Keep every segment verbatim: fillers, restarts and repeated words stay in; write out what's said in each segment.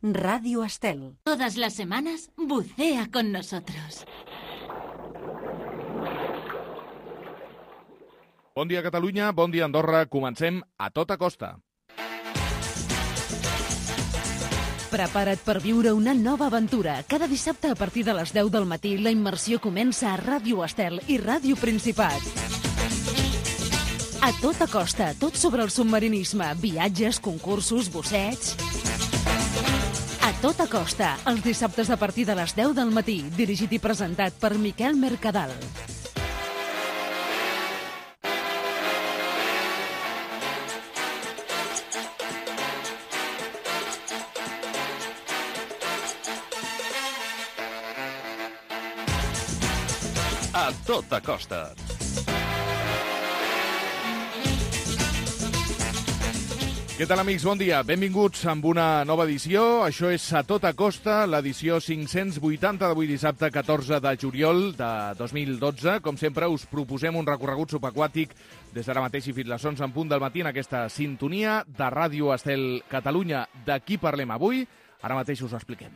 Radio Estel. Todas las semanas, bucea con nosotros. Bon dia, Catalunya, bon dia, Andorra. Comencem a tota costa. Prepara't per viure una nova aventura. Cada dissabte a partir de les deu del matí la immersió comença a Ràdio Estel i Ràdio Principat. A tota costa, tot sobre el submarinisme, viatges, concursos, buceig... A tota costa, els dissabtes a partir de les deu del matí, dirigit i presentat per Miquel Mercadal. A tota costa. Què tal, amics? Bon dia. Benvinguts amb una nova edició. Això és A Tota Costa, l'edició cinc-cents vuitanta d'avui dissabte, catorze de juliol de dos mil dotze. Com sempre, us proposem un recorregut subaquàtic des d'ara mateix i fins les onze en punt del matí en aquesta sintonia de Ràdio Estel Catalunya. De qui parlem avui? Ara mateix us ho expliquem.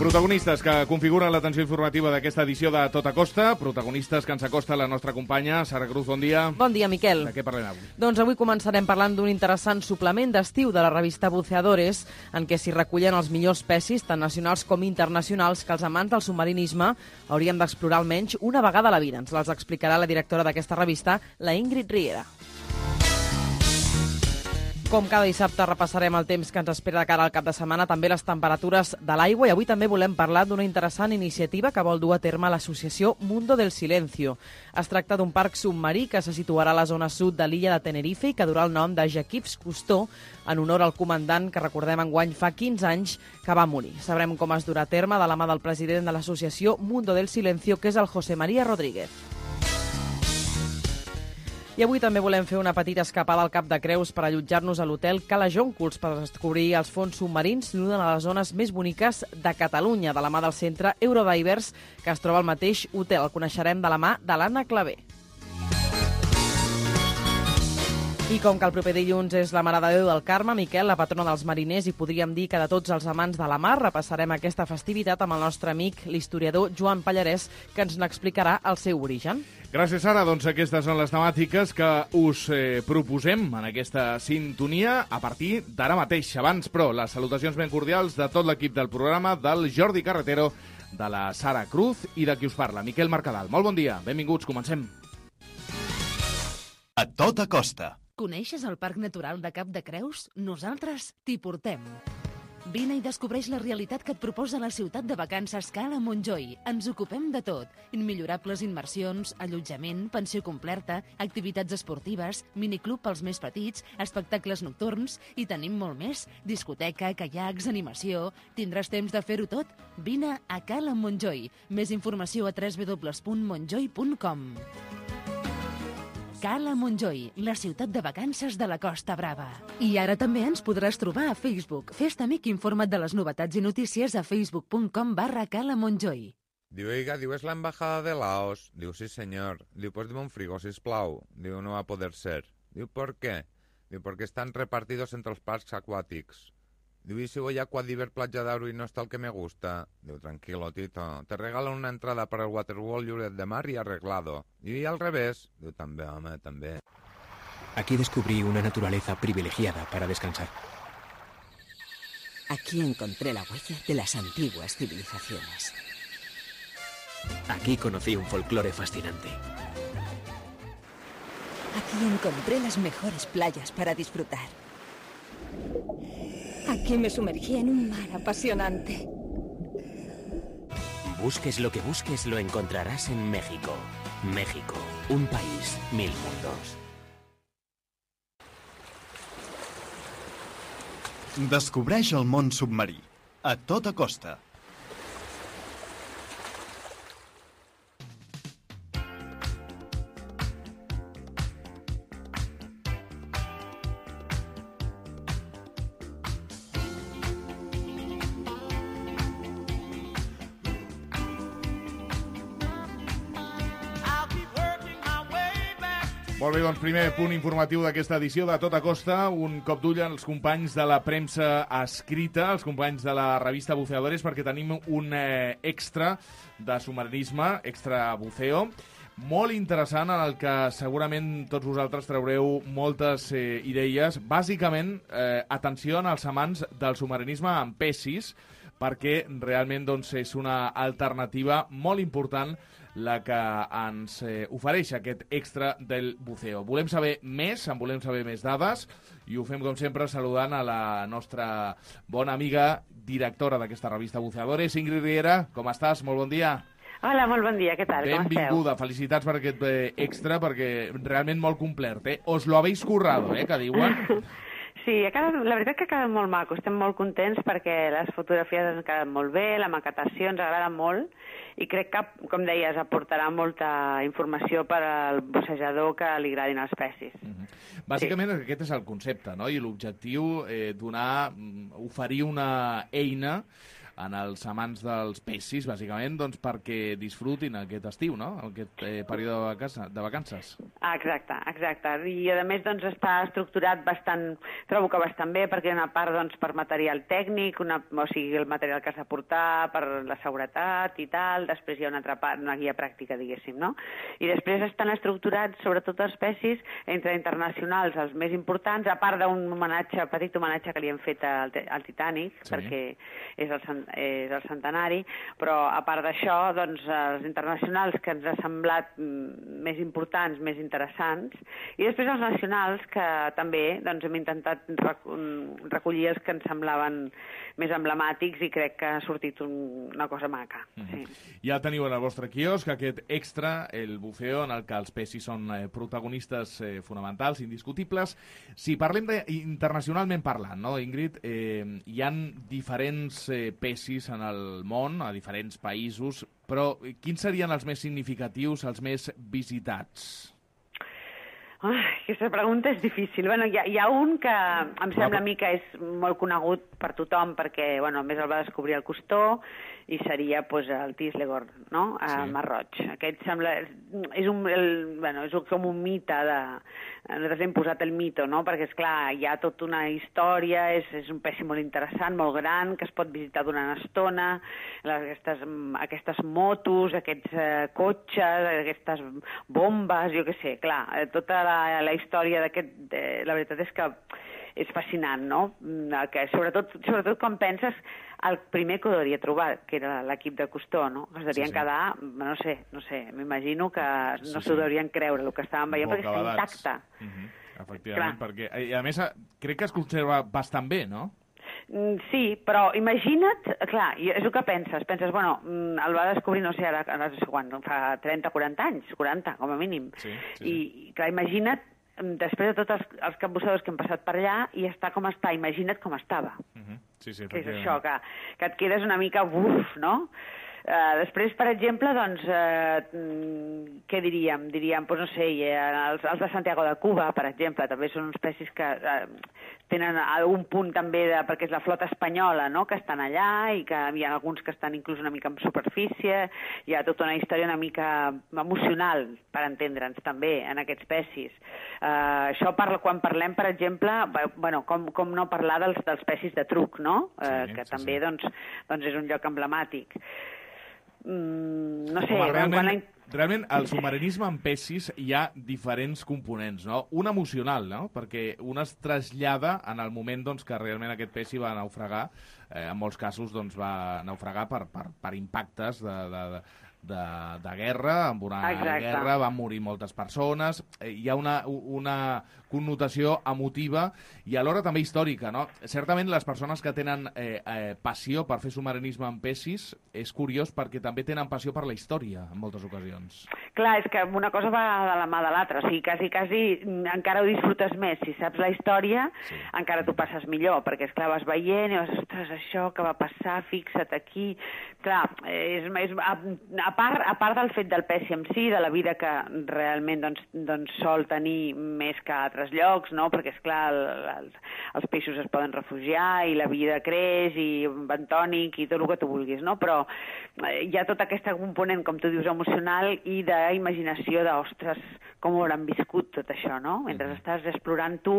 Protagonistes que configuren l'atenció informativa d'aquesta edició de Tota Costa, protagonistes que ens acosta la nostra companya, Sara Cruz, bon dia. Bon dia, Miquel. De què parlem avui? Doncs avui començarem parlant d'un interessant suplement d'estiu de la revista Buceadores, en què s'hi recullen els millors pessis, tant nacionals com internacionals, que els amants del submarinisme hauríem d'explorar almenys una vegada a la vida. Ens les explicarà la directora d'aquesta revista, la Ingrid Riera. Com cada dissabte repassarem el temps que ens espera de cara al cap de setmana, també les temperatures de l'aigua, i avui també volem parlar d'una interessant iniciativa que vol dur a terme l'associació Mundo del Silencio. Es tracta d'un parc submarí que se situarà a la zona sud de l'illa de Tenerife i que durà el nom de Jacques Cousteau, en honor al comandant que recordem enguany fa quinze anys que va morir. Sabrem com es durà a terme de la mà del president de l'associació Mundo del Silencio, que és el José María Rodríguez. I avui també volem fer una petita escapada al Cap de Creus per allotjar-nos a l'hotel Cala Jonculs per descobrir els fons submarins d'una de les zones més boniques de Catalunya, de la mà del centre Eurodivers, que es troba al mateix hotel. El coneixerem de la mà de l'Anna Clavé. I com que el proper dilluns és la Mare de Déu del Carme, Miquel, la patrona dels mariners, i podríem dir que de tots els amants de la mar, repassarem aquesta festivitat amb el nostre amic, l'historiador Joan Pallarès, que ens n'explicarà el seu origen. Gràcies, Sara. Doncs aquestes són les temàtiques que us eh, proposem en aquesta sintonia a partir d'ara mateix. Abans, però, les salutacions ben cordials de tot l'equip del programa, del Jordi Carretero, de la Sara Cruz i de qui us parla, Miquel Mercadal. Molt bon dia. Benvinguts. Comencem. A tota costa. Coneixes el Parc Natural de Cap de Creus? Nosaltres t'hi portem. Vine i descobreix la realitat que et proposa la ciutat de vacances Cala Montjoi. Ens ocupem de tot. Immillorables immersions, allotjament, pensió completa, activitats esportives, miniclub pels més petits, espectacles nocturns i tenim molt més. Discoteca, caiacs, animació... Tindràs temps de fer-ho tot? Vine a Cala Montjoi. Més informació a w w w punt montjoi punt com. Cala Montjoi, la ciutat de vacances de la Costa Brava. I ara també ens podràs trobar a Facebook. Fes-te amic i informa't de les novetats i notícies a facebook punt com barra Cala Montjoi. Diu, oiga, diu, ¿es la embajada de Laos? Diu, sí, señor. Diu, pues dime un frigo, sisplau. Diu, no va a poder ser. Diu, ¿por qué? Diu, porque están repartidos entre los parques acuáticos. Diu, ¿y si voy a Quadiver Playa d'Aro y no está el que me gusta? Diu, tranquilo, Tito. Te regalan una entrada para el Waterworld Lloret de Mar y arreglado. Y al revés. Diu, també, home, també. Aquí descubrí una naturaleza privilegiada para descansar. Aquí encontré la huella de las antiguas civilizaciones. Aquí conocí un folclore fascinante. Aquí encontré las mejores playas para disfrutar. Aquí me sumergí en un mar apasionante. Busques lo que busques, lo encontrarás en México. México, un país, mil mundos. Descobreix el món submarí. A tota costa. Molt bé, doncs primer punt informatiu d'aquesta edició de Tota Costa, un cop d'ull als companys de la premsa escrita, els companys de la revista Buceadores, perquè tenim un eh, extra de submarinisme, extra buceo, molt interessant, en el que segurament tots vosaltres traureu moltes eh, idees. Bàsicament, eh, atenció als amants del submarinisme amb Pessis, perquè realment doncs, és una alternativa molt important la que ens eh, ofereix aquest extra del buceo. Volem saber més, en volem saber més dades, i ho fem, com sempre, saludant a la nostra bona amiga, directora d'aquesta revista Buceadores, Ingrid Riera. Com estàs? Molt bon dia. Hola, molt bon dia, què tal? Com esteu? Benvinguda, felicitats per aquest eh, extra, perquè realment molt complet, eh? Os lo habéis currado, eh, que diuen. Sí, ha quedat, la veritat que ha quedat molt maco, estem molt contents perquè les fotografies ens han quedat molt bé, la maquetació ens agrada molt i crec que, com deies, aportarà molta informació per al bussejador que li agradin els Pessis. Mm-hmm. Bàsicament sí. Aquest és el concepte, no? I l'objectiu, eh, donar, oferir una eina en els amants dels Pessis, bàsicament, doncs perquè disfrutin aquest estiu, no? Aquest eh, període de, casa, de vacances. Ah, exacte, exacte. I, a més, doncs, està estructurat bastant, trobo que bastant bé, perquè hi ha una part, doncs, per material tècnic, una, o sigui, el material que has de portar, per la seguretat i tal, després hi ha una altra part, una guia pràctica, diguéssim, no? I després estan estructurats, sobretot els Pessis, entre internacionals, els més importants, a part d'un homenatge, petit homenatge que li hem fet al, al Titanic, sí. Perquè és el és el centenari, però a part d'això, doncs, els internacionals que ens ha semblat més importants, més interessants, i després els nacionals que també doncs, hem intentat recollir els que ens semblaven més emblemàtics i crec que ha sortit un, una cosa maca. Mm-hmm. Sí. Ja teniu en el vostre quiosc aquest extra, el buceo, en el que els Pessis són eh, protagonistes eh, fonamentals, indiscutibles. Si parlem de, internacionalment parlant, no, Ingrid, eh, hi han diferents eh, Pessis en el món, a diferents països, però quins serien els més significatius, els més visitats? Oh, aquesta pregunta és difícil. Bueno, hi, ha, hi ha un que em sembla a mi que és molt conegut per tothom perquè, bueno, a més el va descobrir el Cousteau i seria pues, el Tislegor, no? A sí. Mar Roig. Aquest sembla... És, un, el, bueno, és com un mite de... Nosaltres hem posat el mito, no? Perquè, esclar, hi ha tota una història, és, és un pessi molt interessant, molt gran, que es pot visitar durant estona, aquestes, aquestes motos, aquests eh, cotxes, aquestes bombes, jo què sé, clar, tota la, la història d'aquest... Eh, la veritat és que és fascinant, no? Que sobretot, sobretot quan penses el primer que ho hauria trobat, que era l'equip de Cousteau, no? Es devien sí, sí. quedar, no sé, no sé, m'imagino que no s'ho sí, sí. deurien creure el que estàvem veient, perquè està intacte. Uh-huh. Efectivament, Clar. perquè, i a més, crec que es conserva bastant bé, no? Sí, però imagina't, clar, és el que penses, penses, bueno, el va descobrir, no sé, ara, no sé quan, fa trenta, quaranta anys, quaranta, com a mínim, sí, sí. I, clar, imagina't, després de tots els, els capbussadors que hem passat per allà, i està com està, imagina't com estava. Uh-huh. Sí, sí, que és això, que, que et quedes una mica buf, no? Uh, després, per exemple, doncs, uh, què diríem? Diríem, doncs, no sé, els, els de Santiago de Cuba, per exemple, també són uns pessis que uh, tenen algun punt també, de, perquè és la flota espanyola, no?, que estan allà i que hi ha alguns que estan inclús una mica en superfície, hi ha tota una història una mica emocional, per entendre'ns, també, en aquests pessis. Uh, això parla, quan parlem, per exemple, bueno, com, com no parlar dels, dels pessis de truc, no?, uh, sí, que sí, també, sí. Doncs, doncs és un lloc emblemàtic. Mm, no sé... Home, realment, quan la... realment, al submarinisme en pessis hi ha diferents components, no? Un emocional, no? Perquè un es trasllada en el moment doncs, que realment aquest pessi va naufragar, eh, en molts casos doncs, va naufragar per, per, per impactes de... de, de De, de guerra, amb una Exacte. guerra van morir moltes persones, eh, hi ha una, una connotació emotiva i alhora també històrica, no? Certament les persones que tenen eh, eh, passió per fer submarinisme en pessis és curiós perquè també tenen passió per la història en moltes ocasions. Clar, és que una cosa va de la mà de l'altra, o sigui, quasi, quasi encara ho disfrutes més, si saps la història sí. encara t'ho passes millor, perquè esclar, vas veient i vas, ostres, això que va passar, fixa't aquí, clar, és, és, a, a a part, a part del fet del Pesci en si, de la vida que realment doncs, doncs sol tenir més que a altres llocs, no? Perquè, esclar, el, el, els peixos es poden refugiar i la vida creix i bentònic i tot el que tu vulguis, no? Però hi ha tota aquesta component, com tu dius, emocional i d'imaginació de, ostres, com ho hauran viscut tot això, no? Mentre estàs explorant tu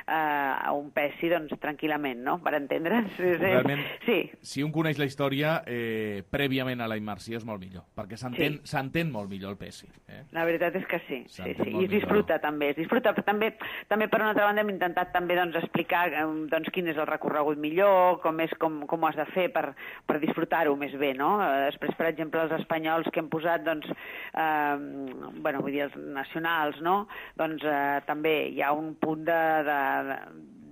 eh, un Pesci, doncs, tranquil·lament, no? Per entendre's. Realment, sí. Si un coneix la història, eh, prèviament a la immersió és molt millor, perquè s'entén Sí. s'entén molt millor el Pesci. Eh? La veritat és que sí, sí, S'entén sí. molt I es disfruta millor. també, es disfruta, però també, també per una altra banda hem intentat també doncs, explicar eh, doncs, quin és el recorregut millor, com, és, com, com ho has de fer per, per disfrutar-ho més bé, no? Eh, Després, per exemple, els espanyols que hem posat, doncs, eh, bueno, vull dir, els nacionals, no? Doncs eh, també hi ha un punt de, de,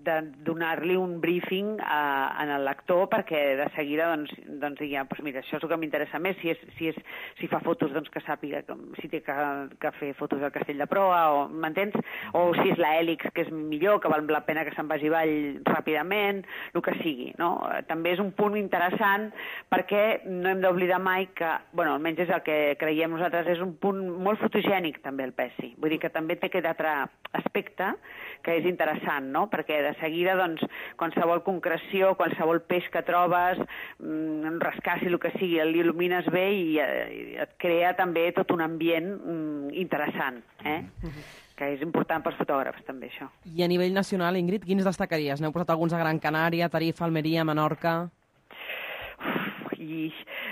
de donar-li un briefing a, a el lector perquè de seguida doncs, doncs digui, ah, doncs mira, això és el que m'interessa més, si, és, si, és, si fa fotos doncs que sàpiga que, si té que, que fer fotos del Castell de Proa, o m'entens? O si és la Hèlix, que és millor, que val la pena que se'n vagi avall ràpidament, el que sigui, no? També és un punt interessant perquè no hem d'oblidar mai que, bueno, almenys és el que creiem nosaltres, és un punt molt fotogènic també el Pesci, vull dir que també té aquest altre aspecte que és interessant, no? Perquè de seguida, doncs, qualsevol concreció, qualsevol peix que trobes, un rascaci, el que sigui, l'il·lumines bé i, i et crea també tot un ambient mm, interessant, eh? Mm-hmm. Que és important pels fotògrafs, també, això. I a nivell nacional, Ingrid, quins destacaries? N'heu posat alguns a Gran Canària, Tarifa, Almeria, Menorca... I,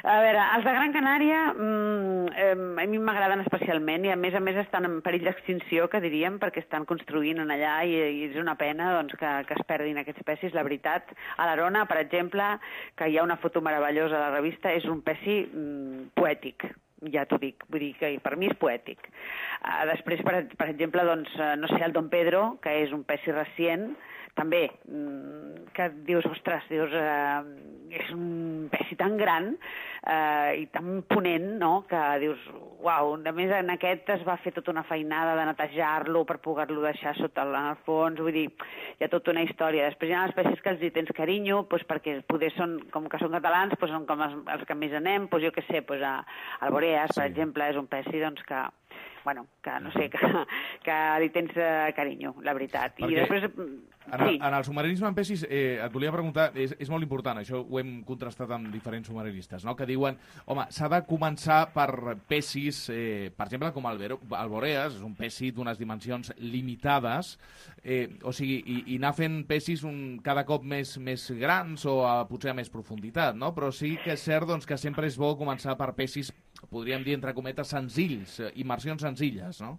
a veure, els de Gran Canària mmm, eh, a mi m'agraden especialment i a més a més estan en perill d'extinció, que diríem, perquè estan construint en allà i, i és una pena doncs, que, que es perdin aquests pescis, la veritat. A l'Arona, per exemple, que hi ha una foto meravellosa a la revista, és un pesci mm, poètic, ja t'ho dic, vull dir que per mi és poètic. Uh, després, per, per exemple, doncs, no sé, el Don Pedro, que és un pesci recient, també, que dius, ostres, dius, eh, és un pesci tan gran eh, i tan ponent, no?, que dius, uau, a més en aquest es va fer tota una feinada de netejar-lo per poder-lo deixar sota el, en el fons, vull dir, hi ha tota una història. Després hi ha els pescis que els hi tens carinyo, doncs perquè poder són, com que són catalans, doncs són com els, els que més anem, doncs jo què sé, doncs a, al Boreas, per sí. exemple, és un pesci, doncs, que bueno, que no sé, que, que li tens eh, carinyo, la veritat. Perquè I després... En el, sí. en el submarinisme en pescis, eh, et volia preguntar, és, és molt important, això ho hem contrastat amb diferents submarinistes, no?, que diuen, home, s'ha de començar per pescis, eh, per exemple, com el, Vero, el Boreas, és un pesci d'unes dimensions limitades, eh, o sigui, i, i anar fent pescis un, cada cop més, més grans o a, potser a més profunditat, no?, però sí que és cert doncs, que sempre és bo començar per pescis, podríem dir, entre cometes, senzills, immersions senzilles, no?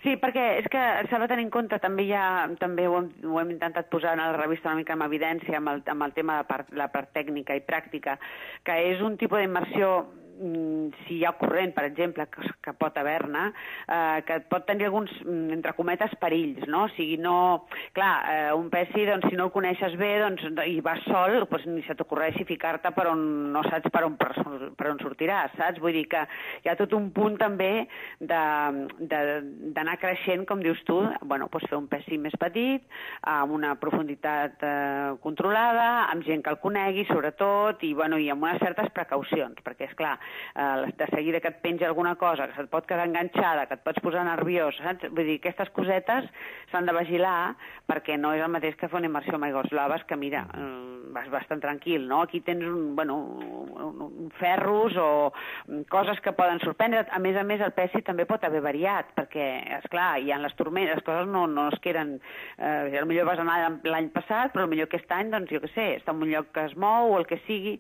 Sí, perquè és que s'ha de tenir en compte, també hi ha, també ho hem, ho hem intentat posar en la revista una mica en evidència amb el, amb el tema de part, la part tècnica i pràctica, que és un tipus d'immersió, si hi ha corrent, per exemple, que, que pot haver-ne, eh, que pot tenir alguns, entre cometes, perills, no? O sigui, no... Clar, eh, un pesci, doncs, si no el coneixes bé doncs, i vas sol, doncs, ni se t'ocorreixi ficar-te per on no saps per on, per, per on sortiràs, saps? Vull dir que hi ha tot un punt també d'anar creixent, com dius tu, bueno, doncs fer un pesci més petit, amb una profunditat eh, controlada, amb gent que el conegui, sobretot, i, bueno, i amb unes certes precaucions, perquè, és clar, Uh, de seguida que et penja alguna cosa, que se't pot quedar enganxada, que et pots posar nerviós, saps? Vull dir, aquestes cosetes s'han de vigilar perquè no és el mateix que fer una immersió amb aigües blaves, que mira, um, vas bastant tranquil, no? Aquí tens un, bueno, un, un ferros o coses que poden sorprendre. A més a més, el pesci també pot haver variat, perquè, esclar, hi ha les tormentes, les coses no, no es queden... Eh, potser vas anar l'any passat, però potser aquest any, doncs, jo què sé, està en un lloc que es mou o el que sigui.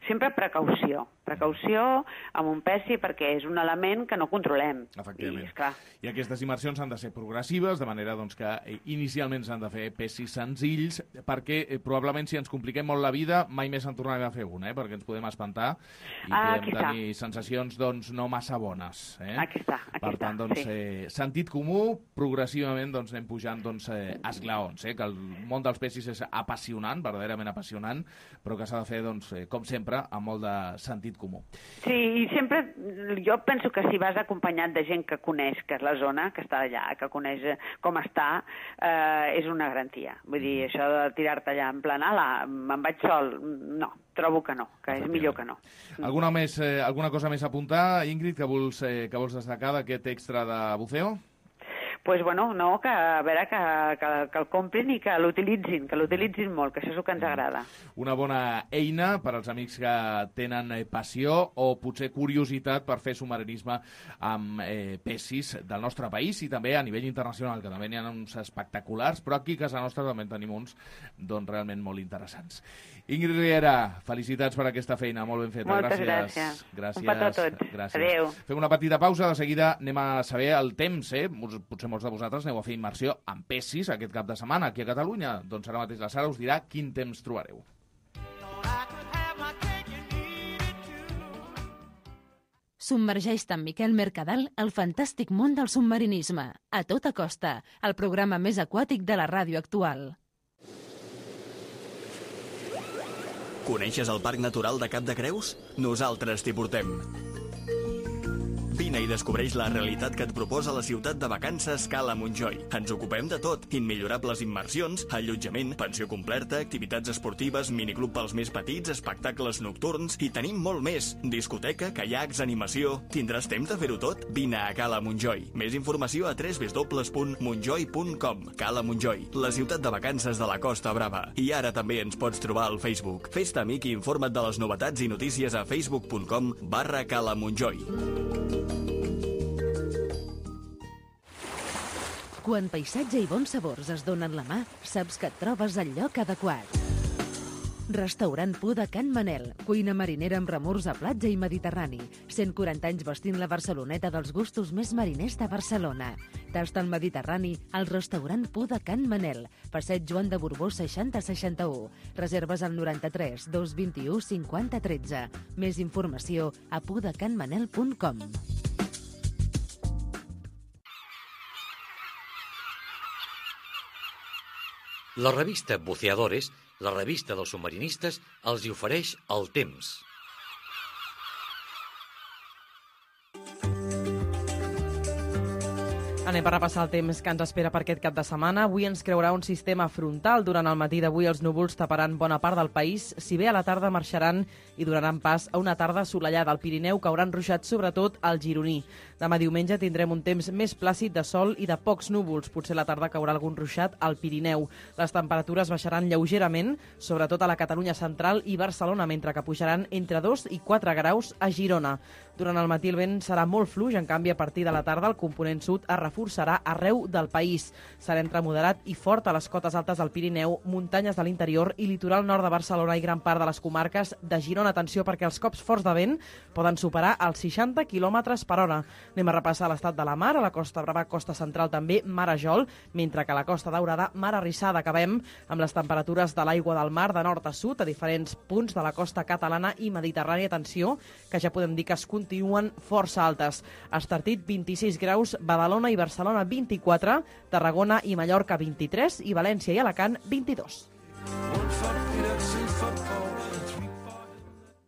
Sempre precaució. Precaució amb un pesci perquè és un element que no controlem. Efectivament. I, esclar... I aquestes immersions han de ser progressives, de manera doncs, que eh, inicialment s'han de fer pescis senzills, perquè eh, probablement si ens compliquem molt la vida mai més en tornarem a fer una, eh, perquè ens podem espantar i ah, podem tenir sensacions doncs, no massa bones. Eh? Aquí està, aquí per tant, doncs, sí. eh, sentit comú, progressivament doncs, anem pujant doncs, eh, esglaons, eh, que el món dels pescis és apassionant, verdaderament apassionant, però que s'ha de fer, doncs, eh, com sempre, amb molt de sentit comú. Sí, i sempre, jo penso que si vas acompanyat de gent que coneix que és la zona, que està allà, que coneix com està, eh, és una garantia. Vull dir, això de tirar-te allà en plan, ala, me'n vaig sol, no, trobo que no, que és millor que no. Alguna, més, eh, alguna cosa més a apuntar, Ingrid, que vols, eh, que vols destacar d'aquest extra de buceo? Pues bueno, no, que a veure que, que, que el comprin i que l'utilitzin, que l'utilitzin molt, que això és el que ens agrada. Una bona eina per als amics que tenen passió o potser curiositat per fer submarinisme amb eh, pessis del nostre país i també a nivell internacional, que també n'hi ha uns espectaculars, però aquí a casa nostra també en tenim uns doncs, realment molt interessants. Ingrid Riera, felicitats per aquesta feina, molt ben feta. Moltes gràcies. gràcies. gràcies. Un petó a tots. Gràcies. Adéu. Fem una petita pausa, de seguida anem a saber el temps, eh? Potser molts de vosaltres aneu a fer immersió en pessis aquest cap de setmana aquí a Catalunya. Doncs ara mateix la Sara us dirà quin temps trobareu. Submergeix-te amb Miquel Mercadal al fantàstic món del submarinisme. A tota costa, el programa més aquàtic de la ràdio actual. Coneixes el Parc Natural de Cap de Creus? Nosaltres t'hi portem. Vine i descobreix la realitat que et proposa la ciutat de vacances Cala Montjoi. Ens ocupem de tot. Immillorables immersions, allotjament, pensió completa, activitats esportives, miniclub pels més petits, espectacles nocturns i tenim molt més. Discoteca, caiacs, animació... Tindràs temps de fer-ho tot? Vine a Cala Montjoi. Més informació a w w w punt montjoi punt com. Cala Montjoi, la ciutat de vacances de la Costa Brava. I ara també ens pots trobar al Facebook. Fes-te amic i informa't de les novetats i notícies a facebook punt com barra Cala Montjoi. Quan paisatge i bons sabors es donen la mà, saps que et trobes al lloc adequat. Restaurant Pu de Can Manel, cuina marinera amb remors a platja i mediterrani. cent quaranta anys vestint la Barceloneta dels gustos més mariners de Barcelona. Tasta el Mediterrani al restaurant Pu de Can Manel, passeig Joan de Borbó seixanta seixanta-u. Reserves al noranta-tres dos vint-i-u cinquanta tretze. Més informació a pu de can manel punt com. La revista Buceadores, la revista dels submarinistes, els hi ofereix el temps. Anem a repassar el temps que ens espera per aquest cap de setmana. Avui ens creurà un sistema frontal. Durant el matí d'avui els núvols taparan bona part del país, si bé a la tarda marxaran i donaran pas a una tarda assolellada. Al Pirineu cauran ruixats sobretot al gironí. Demà diumenge tindrem un temps més plàcid de sol i de pocs núvols. Potser a la tarda caurà algun ruixat al Pirineu. Les temperatures baixaran lleugerament, sobretot a la Catalunya central i Barcelona, mentre que pujaran entre dos i quatre graus a Girona. Durant el matí el vent serà molt fluix, en canvi a partir de la tarda el component sud es reforçarà arreu del país. Serà entre moderat i fort a les cotes altes del Pirineu, muntanyes de l'interior i litoral nord de Barcelona i gran part de les comarques de Girona. Atenció, perquè els cops forts de vent poden superar els seixanta quilòmetres per hora. Anem a repassar l'estat de la mar. A la Costa Brava, Costa Central també mar a Jol, mentre que a la Costa Daurada mar arrissada. Acabem amb les temperatures de l'aigua del mar de nord a sud a diferents punts de la costa catalana i mediterrània. Atenció, que ja podem dir que es continuen força altes. Estartit vint-i-sis graus, Badalona i Barcelona vint-i-quatre, Tarragona i Mallorca vint-i-tres i València i Alacant vint-i-dos.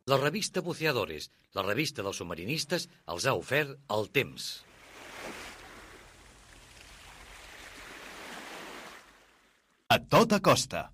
La revista Buceadores, la revista dels submarinistes, els ha ofert el temps. A tota costa.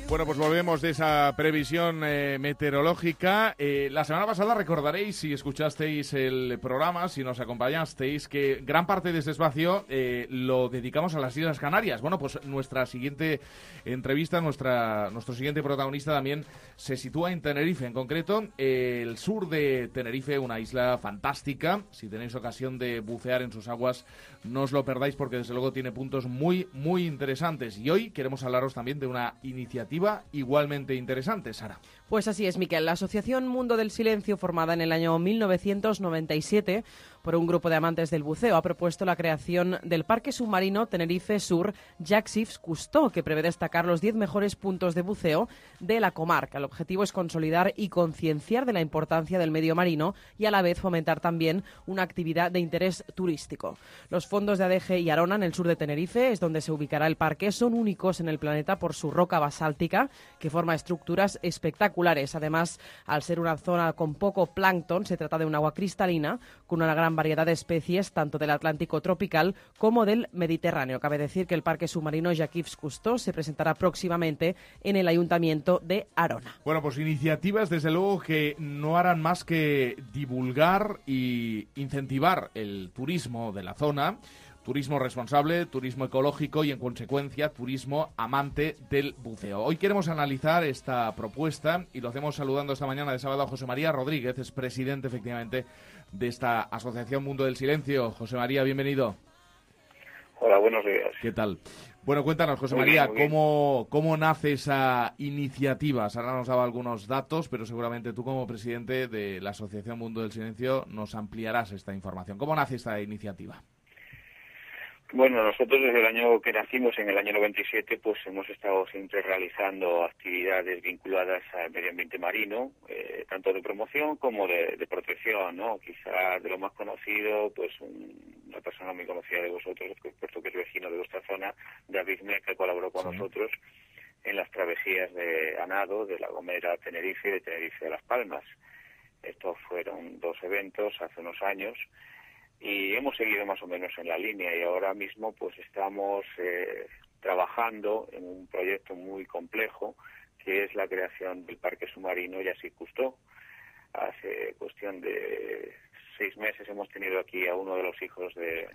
Bueno, pues volvemos de esa previsión eh, meteorológica. Eh, la semana pasada recordaréis, si escuchasteis el programa, si nos acompañasteis, que gran parte de este espacio eh, lo dedicamos a las Islas Canarias. Bueno, pues nuestra siguiente entrevista, nuestra, nuestro siguiente protagonista también se sitúa en Tenerife. En concreto, eh, el sur de Tenerife, una isla fantástica. Si tenéis ocasión de bucear en sus aguas, no os lo perdáis porque desde luego tiene puntos muy, muy interesantes. Y hoy queremos hablaros también de una iniciativa igualmente interesante, Sara. Pues así es, Miquel. La Asociación Mundo del Silencio, formada en el año mil novecientos noventa y siete por un grupo de amantes del buceo, ha propuesto la creación del Parque Submarino Tenerife Sur Jacques Cousteau, que prevé destacar los diez mejores puntos de buceo de la comarca. El objetivo es consolidar y concienciar de la importancia del medio marino y a la vez fomentar también una actividad de interés turístico. Los fondos de Adeje y Arona, en el sur de Tenerife, es donde se ubicará el parque, son únicos en el planeta por su roca basáltica, que forma estructuras espectaculares. Además, al ser una zona con poco plancton, se trata de un agua cristalina con una gran variedad de especies, tanto del Atlántico tropical como del Mediterráneo. Cabe decir que el Parque Submarino Jacques Cousteau se presentará próximamente en el Ayuntamiento de Arona. Bueno, pues iniciativas, desde luego, que no harán más que divulgar y incentivar el turismo de la zona. Turismo responsable, turismo ecológico y, en consecuencia, turismo amante del buceo. Hoy queremos analizar esta propuesta y lo hacemos saludando esta mañana de sábado a José María Rodríguez, es presidente, efectivamente, de esta Asociación Mundo del Silencio. José María, bienvenido. Hola, buenos días. ¿Qué tal? Bueno, cuéntanos, José Muy María, bien, muy bien. ¿cómo, ¿cómo nace esa iniciativa? Sara nos daba algunos datos, pero seguramente tú, como presidente de la Asociación Mundo del Silencio, nos ampliarás esta información. ¿Cómo nace esta iniciativa? Bueno, nosotros desde el año que nacimos, en el año noventa y siete, pues hemos estado siempre realizando actividades vinculadas al medio ambiente marino, eh, tanto de promoción como de, de protección, ¿no? Quizás de lo más conocido, pues un, una persona muy conocida de vosotros, puesto que es vecino de vuestra zona, David Mec, que colaboró con sí. nosotros en las travesías de a nado de La Gomera a Tenerife y de Tenerife a Las Palmas. Estos fueron dos eventos hace unos años. Y hemos seguido más o menos en la línea y ahora mismo pues estamos eh, trabajando en un proyecto muy complejo que es la creación del Parque Submarino Jacques Cousteau. Hace cuestión de seis meses hemos tenido aquí a uno de los hijos de,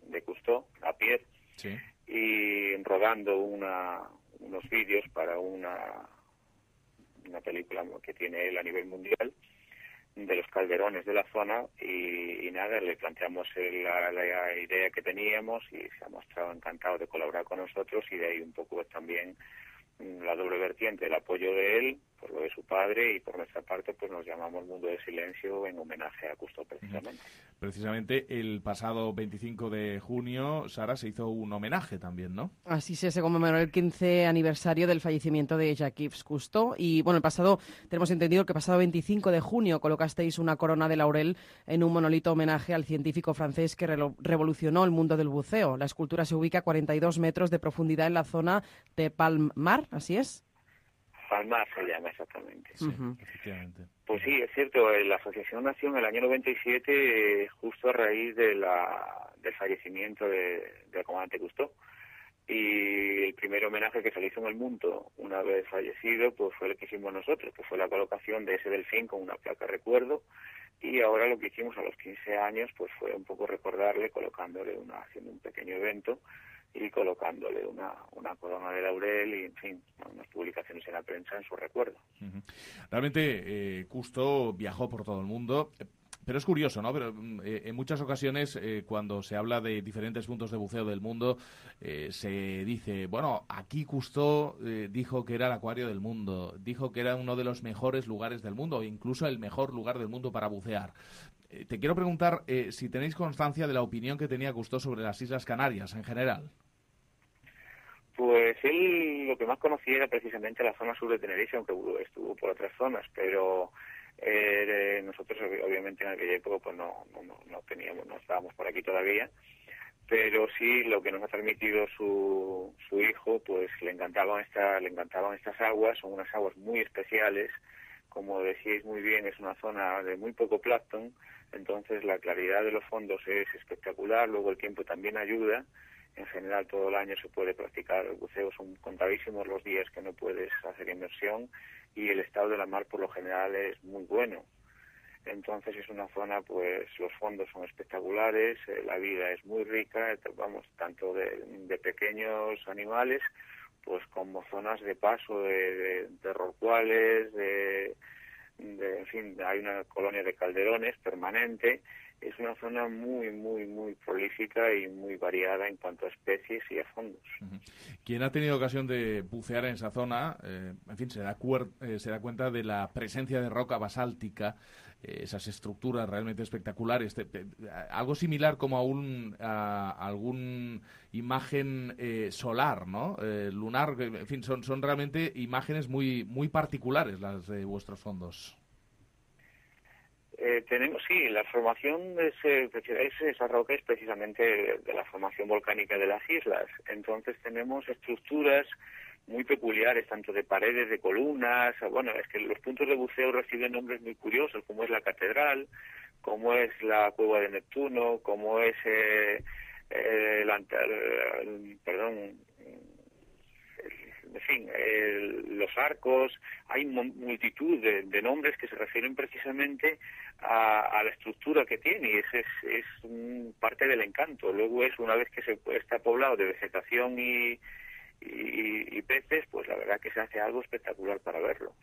de Cousteau, a Pierre, sí. y rodando una, unos vídeos para una, una película que tiene él a nivel mundial, de los calderones de la zona y, y nada, le planteamos el, la, la idea que teníamos y se ha mostrado encantado de colaborar con nosotros y de ahí un poco pues, también la doble vertiente, el apoyo de él por lo de su padre y por nuestra parte pues nos llamamos Mundo del Silencio en homenaje a Cousteau precisamente. Precisamente el pasado veinticinco de junio, Sara, se hizo un homenaje también, ¿no? Así se, se conmemoró el quince aniversario del fallecimiento de Jacques Cousteau y bueno, el pasado, tenemos entendido que el pasado veinticinco de junio colocasteis una corona de laurel en un monolito homenaje al científico francés que re revolucionó el mundo del buceo. La escultura se ubica a cuarenta y dos metros de profundidad en la zona de Palmar, ¿así es? Palmar se llama exactamente. Sí, uh-huh. efectivamente. Pues sí, es cierto, la asociación nació en el año noventa y siete eh, justo a raíz de la, del fallecimiento de, del comandante Cousteau. Y el primer homenaje que se le hizo en el mundo una vez fallecido pues fue el que hicimos nosotros, que fue la colocación de ese delfín con una placa de recuerdo. Y ahora lo que hicimos a los quince años pues fue un poco recordarle colocándole una, haciendo un pequeño evento y colocándole una, una corona de laurel y, en fin, unas publicaciones en la prensa en su recuerdo. Uh-huh. Realmente, eh, Cousteau viajó por todo el mundo, pero es curioso, ¿no? Pero eh, en muchas ocasiones, eh, cuando se habla de diferentes puntos de buceo del mundo, eh, se dice, bueno, aquí Cousteau eh, dijo que era el acuario del mundo, dijo que era uno de los mejores lugares del mundo, o incluso el mejor lugar del mundo para bucear. Eh, te quiero preguntar eh, si tenéis constancia de la opinión que tenía Cousteau sobre las Islas Canarias en general. Pues él lo que más conocía era precisamente la zona sur de Tenerife, aunque estuvo por otras zonas, pero eh, nosotros obviamente en aquella época pues no, no, no teníamos, no estábamos por aquí todavía, pero sí lo que nos ha transmitido su, su hijo, pues le encantaban, esta, le encantaban estas aguas, son unas aguas muy especiales, como decíais muy bien, es una zona de muy poco plancton, entonces la claridad de los fondos es espectacular, luego el tiempo también ayuda. En general todo el año se puede practicar el buceo, son contadísimos los días que no puedes hacer inmersión y el estado de la mar por lo general es muy bueno. Entonces es una zona, pues los fondos son espectaculares, eh, la vida es muy rica, vamos, tanto de, de pequeños animales pues como zonas de paso de, de, de rorcuales, de, de, en fin, hay una colonia de calderones permanente es una zona muy, muy, muy prolífica y muy variada en cuanto a especies y a fondos. Uh-huh. Quien ha tenido ocasión de bucear en esa zona, eh, en fin, se da, cuer- eh, se da cuenta de la presencia de roca basáltica, eh, esas estructuras realmente espectaculares, te, te, algo similar como a, un, a, a algún imagen eh, solar, ¿no? Eh, lunar, en fin, son, son realmente imágenes muy, muy particulares las de vuestros fondos. Eh, tenemos, sí, la formación de ese, es, esa roca es precisamente de, de la formación volcánica de las islas. Entonces tenemos estructuras muy peculiares, tanto de paredes, de columnas. Bueno, es que los puntos de buceo reciben nombres muy curiosos, como es la Catedral, como es la Cueva de Neptuno, como es eh, eh, la, el, perdón, en fin, eh, los arcos. Hay multitud de, de nombres que se refieren precisamente a, a la estructura que tiene, y ese es, es un, parte del encanto. Luego es, una vez que se está poblado de vegetación y, y, y peces, pues la verdad que se hace algo espectacular para verlo.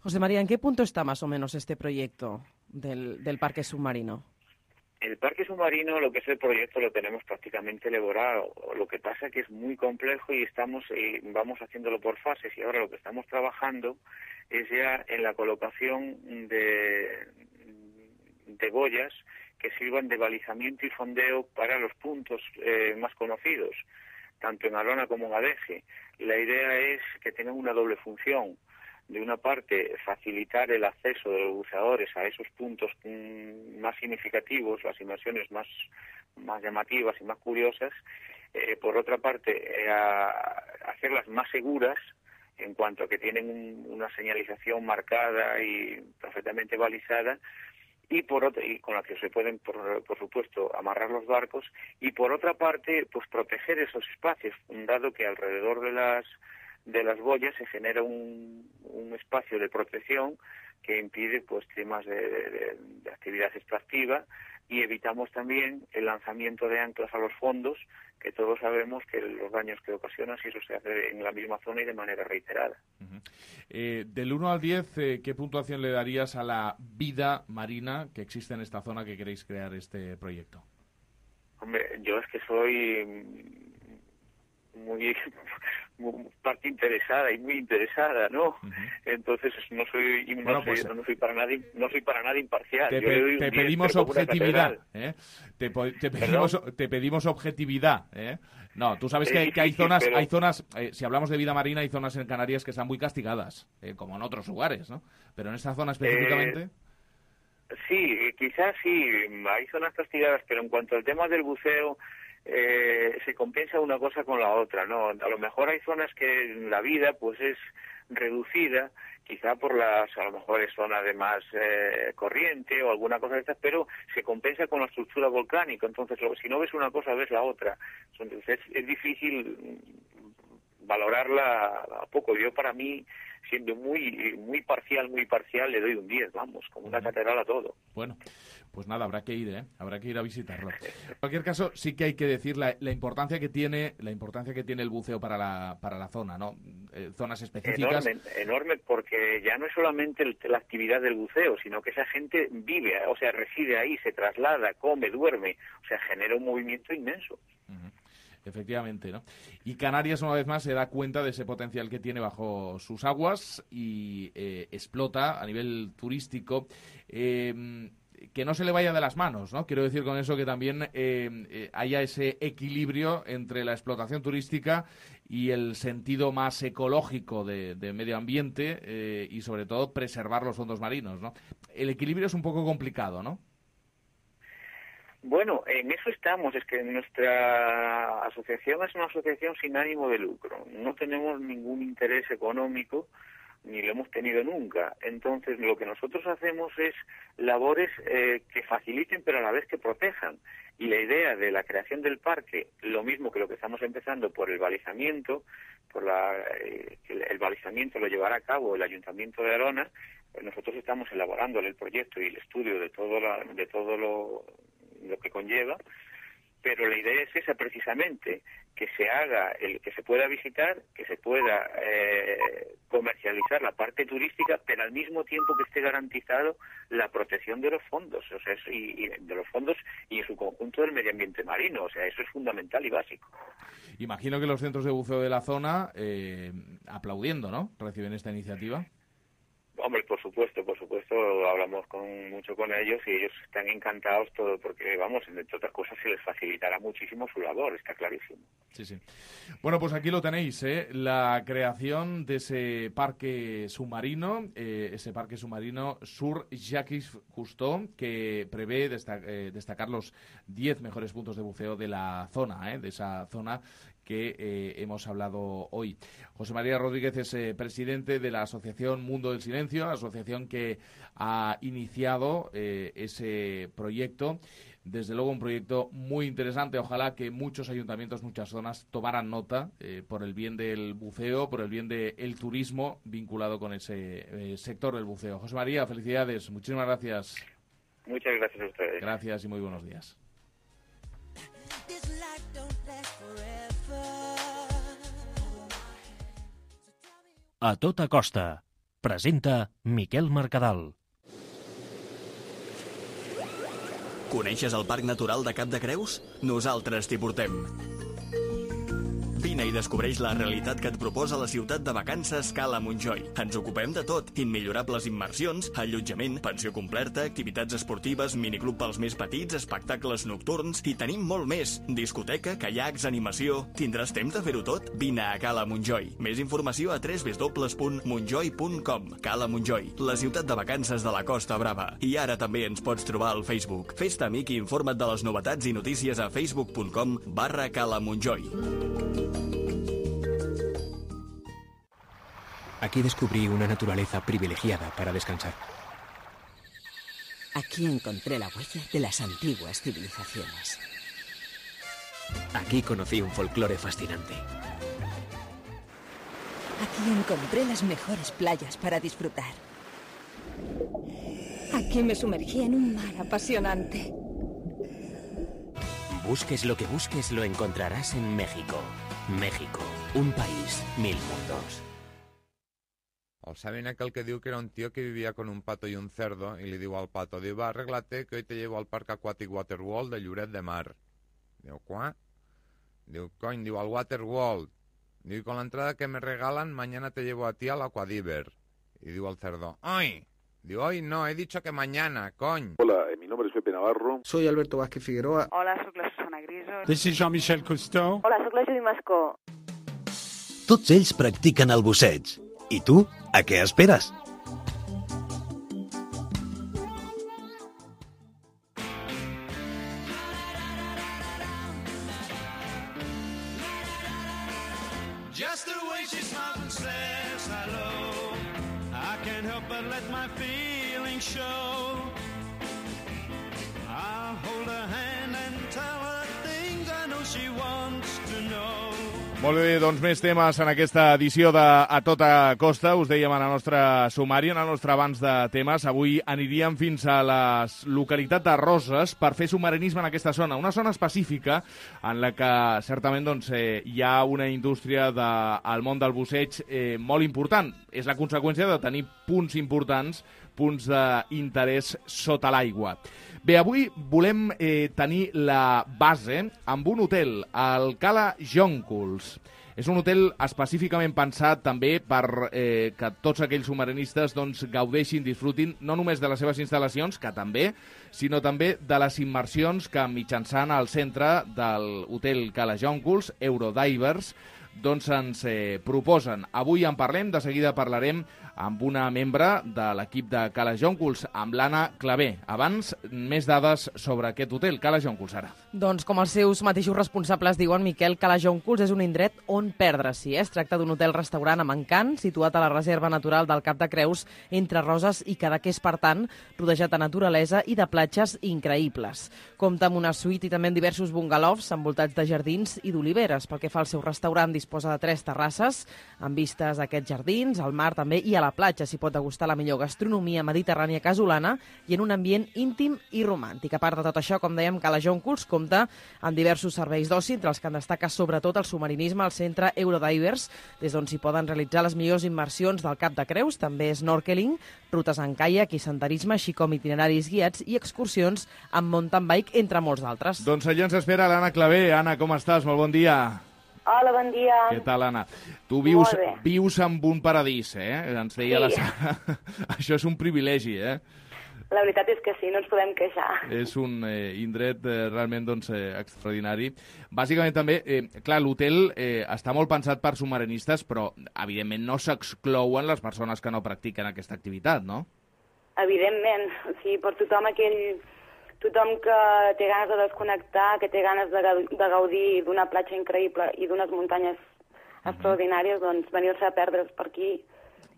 José María, ¿en qué punto está más o menos este proyecto del, del parque submarino? El parque submarino, lo que es el proyecto, lo tenemos prácticamente elaborado. Lo que pasa es que es muy complejo y estamos eh, vamos haciéndolo por fases, y ahora lo que estamos trabajando es ya en la colocación de, de boyas que sirvan de balizamiento y fondeo para los puntos eh, más conocidos, tanto en Arona como en Adeje. La idea es que tengan una doble función. De una parte, facilitar el acceso de los buceadores a esos puntos mmm, más significativos, las inmersiones más, más llamativas y más curiosas. Eh, por otra parte, eh, a, hacerlas más seguras en cuanto a que tienen un, una señalización marcada y perfectamente balizada, y por otra, y con la que se pueden, por, por supuesto, amarrar los barcos, y por otra parte, pues proteger esos espacios, dado que alrededor de las de las boyas se genera un, un espacio de protección que impide pues temas de, de, de actividad extractiva, y evitamos también el lanzamiento de anclas a los fondos, que todos sabemos que los daños que ocasiona si eso se hace en la misma zona y de manera reiterada. Uh-huh. Eh, del uno al diez, eh, ¿qué puntuación le darías a la vida marina que existe en esta zona que queréis crear este proyecto? Hombre, yo es que soy muy, muy parte interesada y muy interesada, ¿no? Uh-huh. Entonces no soy no, bueno, pues, soy no soy para nada no soy para nada imparcial. Te, pe, te pedimos objetividad, ¿eh? Te, te pedimos te pedimos objetividad, ¿eh? No, tú sabes que, que hay zonas pero... hay zonas eh, si hablamos de vida marina, hay zonas en Canarias que están muy castigadas, eh, como en otros lugares, ¿no? Pero en esta zona específicamente. Eh, sí, quizás sí, hay zonas castigadas, pero en cuanto al tema del buceo, Eh, se compensa una cosa con la otra, ¿no? A lo mejor hay zonas que la vida pues es reducida, quizá por las, a lo mejor es zona de más eh, corriente o alguna cosa de estas, pero se compensa con la estructura volcánica. Entonces, si no ves una cosa, ves la otra. Entonces, es, es difícil valorarla a poco. Yo, para mí, siendo muy muy parcial, muy parcial, le doy un diez, vamos, como una catedral a todo. Bueno, pues nada, habrá que ir, ¿eh? Habrá que ir a visitarlo. En cualquier caso, sí que hay que decir la, la importancia que tiene la importancia que tiene el buceo para la para la zona, ¿no? Eh, zonas específicas. Enorme, enorme, porque ya no es solamente el, la actividad del buceo, sino que esa gente vive, o sea, reside ahí, se traslada, come, duerme, o sea, genera un movimiento inmenso. Uh-huh. Efectivamente, ¿no? Y Canarias, una vez más, se da cuenta de ese potencial que tiene bajo sus aguas y eh, explota a nivel turístico. Eh, que no se le vaya de las manos, ¿no? Quiero decir con eso que también eh, eh, haya ese equilibrio entre la explotación turística y el sentido más ecológico de, de medio ambiente eh, y, sobre todo, preservar los fondos marinos, ¿no? El equilibrio es un poco complicado, ¿no? Bueno, en eso estamos. Es que nuestra asociación es una asociación sin ánimo de lucro. No tenemos ningún interés económico, ni lo hemos tenido nunca. Entonces, lo que nosotros hacemos es labores eh, que faciliten, pero a la vez que protejan. Y la idea de la creación del parque, lo mismo que lo que estamos empezando por el balizamiento, por la, eh, el, el balizamiento lo llevará a cabo el Ayuntamiento de Arona. Pues nosotros estamos elaborando el proyecto y el estudio de todo, la, de todo lo, lo que conlleva. pero la idea es esa precisamente, que se haga, el que se pueda visitar, que se pueda eh, comercializar la parte turística, pero al mismo tiempo que esté garantizado la protección de los fondos, o sea, y, y de los fondos y en su conjunto del medio ambiente marino, o sea, eso es fundamental y básico. Imagino que los centros de buceo de la zona eh, aplaudiendo, ¿no?, reciben esta iniciativa. Hombre, por supuesto, por supuesto, hablamos con mucho con ellos y ellos están encantados todo porque, vamos, entre otras cosas se les facilitará muchísimo su labor, está clarísimo. Sí, sí. Bueno, pues aquí lo tenéis, ¿eh? La creación de ese parque submarino, eh, ese parque submarino Sur Jacques Cousteau, que prevé destac eh, destacar los diez mejores puntos de buceo de la zona, ¿eh? De esa zona que eh, hemos hablado hoy. José María Rodríguez es eh, presidente de la Asociación Mundo del Silencio, asociación que ha iniciado eh, ese proyecto. Desde luego un proyecto muy interesante. Ojalá que muchos ayuntamientos, muchas zonas tomaran nota eh, por el bien del buceo, por el bien del turismo vinculado con ese eh, sector del buceo. José María, felicidades. Muchísimas gracias. Muchas gracias a ustedes. Gracias y muy buenos días. A tota costa. Presenta Miquel Mercadal. Coneixes el Parc Natural de Cap de Creus? Nosaltres t'hi portem. Vine i descobreix la realitat que et proposa la ciutat de vacances Cala Montjoi. Ens ocupem de tot. Immillorables immersions, allotjament, pensió completa, activitats esportives, miniclub pels més petits, espectacles nocturns i tenim molt més. Discoteca, caiacs, animació... Tindràs temps de fer-ho tot? Vine a Cala Montjoi. Més informació a w w w punt montjoi punt com. Cala Montjoi, la ciutat de vacances de la Costa Brava. I ara també ens pots trobar al Facebook. Fes-te amic i informa't de les novetats i notícies a facebook punt com barra Cala Montjoi. Aquí descubrí una naturaleza privilegiada para descansar. Aquí encontré la huella de las antiguas civilizaciones. Aquí conocí un folclore fascinante. Aquí encontré las mejores playas para disfrutar. Aquí me sumergí en un mar apasionante. Busques lo que busques, lo encontrarás en México. México, un país, mil mundos. El saben aquel que diu que era un tío que vivía con un pato y un cerdo y le diu al pato, diu, va, arréglate que hoy te llevo al parque acuático Waterworld de Lloret de Mar. Diu, ¿cuá? Diu, coño, diu, al Waterworld. Diu, y con la entrada que me regalan, mañana te llevo a ti al Aquadiver. Y diu al cerdo, ¡ay! Diu, hoy no, he dicho que mañana, coño. Hola, mi nombre es Pepe Navarro. Soy Alberto Vázquez Figueroa. Hola, soc la Susana Griso. This is Jean-Michel Cousteau. Hola, soc la Judy Mascó. Tots ells practiquen el busseig. I tu, a què esperes? Just the way she smiles and says hello, I can't help but let my feelings show. I'll hold her hand and tell her things I know she wants to know. Molt bé, doncs més temes en aquesta edició de A Tota Costa. Us dèiem en el nostre sumari, en el nostre abans de temes. Avui aniríem fins a la localitat de Roses per fer submarinisme en aquesta zona. Una zona específica en la que certament doncs, eh, hi ha una indústria del món del busseig eh, molt important. És la conseqüència de tenir punts importants, punts d'interès sota l'aigua. Bé, avui volem eh, tenir la base amb un hotel, el Cala Jonculs. És un hotel específicament pensat també per eh, que tots aquells submarinistes doncs, gaudeixin, disfrutin no només de les seves instal·lacions, que també, sinó també de les immersions que mitjançant al centre del hotel Cala Jonculs, Eurodivers, doncs ens eh, proposen. Avui en parlem, de seguida parlarem amb una membre de l'equip de Cala Jonculs, amb l'Anna Clavé. Abans, més dades sobre aquest hotel, Cala Jonculs, ara. Doncs com els seus mateixos responsables diuen, Miquel, Cala Jonculs és un indret on perdre-s'hi. Eh? Es tracta d'un hotel-restaurant amb encant, situat a la reserva natural del Cap de Creus, entre Roses i Cadaqués, per tant, rodejat de naturalesa i de platges increïbles. Compta amb una suite i també amb diversos bungalows envoltats de jardins i d'oliveres. Pel que fa al seu restaurant, disposa de tres terrasses, amb vistes a aquests jardins, al mar també, i a la platja s'hi pot degustar la millor gastronomia mediterrània casolana i en un ambient íntim i romàntic. A part de tot això, com dèiem, Cala Jonculs compta amb diversos serveis d'oci, entre els que en destaca sobretot el submarinisme al centre Eurodivers, des d'on s'hi poden realitzar les millors immersions del Cap de Creus, també snorkeling, rutes en caiac i senderisme, així com itineraris guiats i excursions amb mountain bike, entre molts d'altres. Doncs allà ens espera l'Anna Clavé. Anna, com estàs? Molt bon dia. Hola, bon dia. Què tal, Anna? Tu vius, vius en un paradís, eh? Ens deia sí. la Sara. Això és un privilegi, eh? La veritat és que sí, no ens podem queixar. És un eh, indret eh, realment doncs, eh, extraordinari. Bàsicament també, eh, clar, l'hotel eh, està molt pensat per submarinistes, però evidentment no s'exclouen les persones que no practiquen aquesta activitat, no? Evidentment. O sigui, per tothom aquell... Tothom que té ganes de desconnectar, que té ganes de, de gaudir d'una platja increïble i d'unes muntanyes extraordinàries, doncs venir-se a perdre's per aquí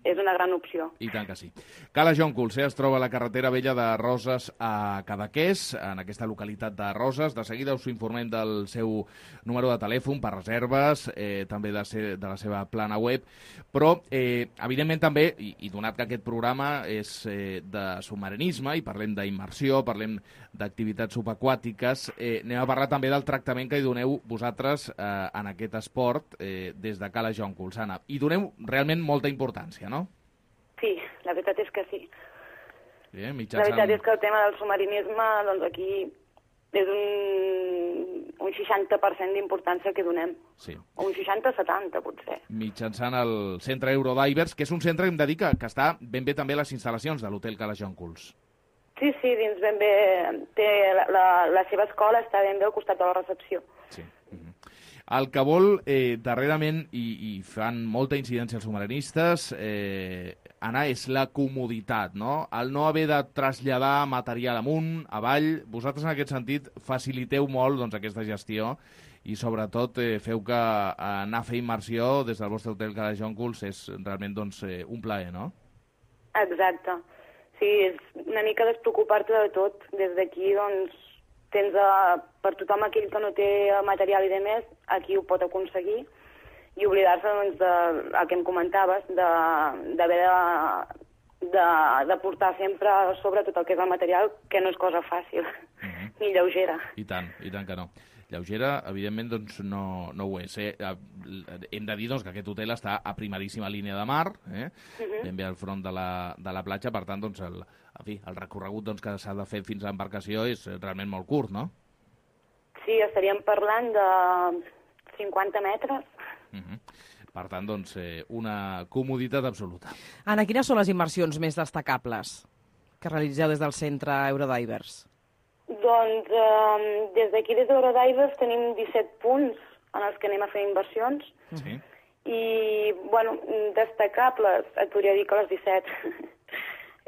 és una gran opció. I tant que sí. Cala Jonculs, eh, es troba a la carretera vella de Roses a Cadaqués, en aquesta localitat de Roses. De seguida us informem del seu número de telèfon per reserves, eh, també de, ser, de la seva plana web, però eh, evidentment també, i, i donat que aquest programa és eh, de submarinisme i parlem d'immersió, parlem d'activitats subaquàtiques, eh, anem a parlar també del tractament que hi doneu vosaltres eh, en aquest esport eh, des de Cala Jonculs, Anna. I doneu realment molta importància, no? Sí, la veritat és que sí. Bien, mitjançant... La veritat és que el tema del submarinisme, doncs aquí és un, un seixanta per cent d'importància que donem. Sí. O un seixanta setanta, potser. Mitjançant el centre Eurodivers, que és un centre, hem de dir, que, que està ben bé també a les instal·lacions de l'hotel Cala Jonculs. Sí, sí, dins ben bé, té la, la, la seva escola està ben bé al costat de la recepció. Sí. Mm-hmm. El que vol, eh, darrerament, i, i fan molta incidència els submarinistes, eh, Anna, és la comoditat, no? El no haver de traslladar material amunt, avall. Vosaltres, en aquest sentit, faciliteu molt doncs, aquesta gestió i, sobretot, eh, feu que anar a fer immersió des del vostre hotel Cala Jonculs és realment doncs, eh, un plaer, no? Exacte. Sí, és una mica despreocupar-te de tot. Des d'aquí, doncs, tens a, per tothom aquell que no té material i de més, aquí ho pot aconseguir i oblidar-se doncs, de, el que em comentaves, d'haver de, de, de, de portar sempre sobre tot el que és el material, que no és cosa fàcil, mm-hmm. ni lleugera. I tant, i tant que no. Lleugera, evidentment, doncs, no, no ho és. Eh? Hem de dir doncs, que aquest hotel està a primeríssima línia de mar, eh? uh-huh. ben bé al front de la, de la platja, per tant, doncs, el, en fi, el recorregut doncs, que s'ha de fer fins a l'embarcació és realment molt curt, no? Sí, estaríem parlant de cinquanta metres. Uh-huh. Per tant, doncs, eh, una comoditat absoluta. Anna, quines són les immersions més destacables que realitzeu des del centre Eurodivers? Doncs eh, des d'aquí, des d'Eurodivers, tenim disset punts en els que anem a fer inversions. Sí. I, bueno, destacables, et podria dir que les disset.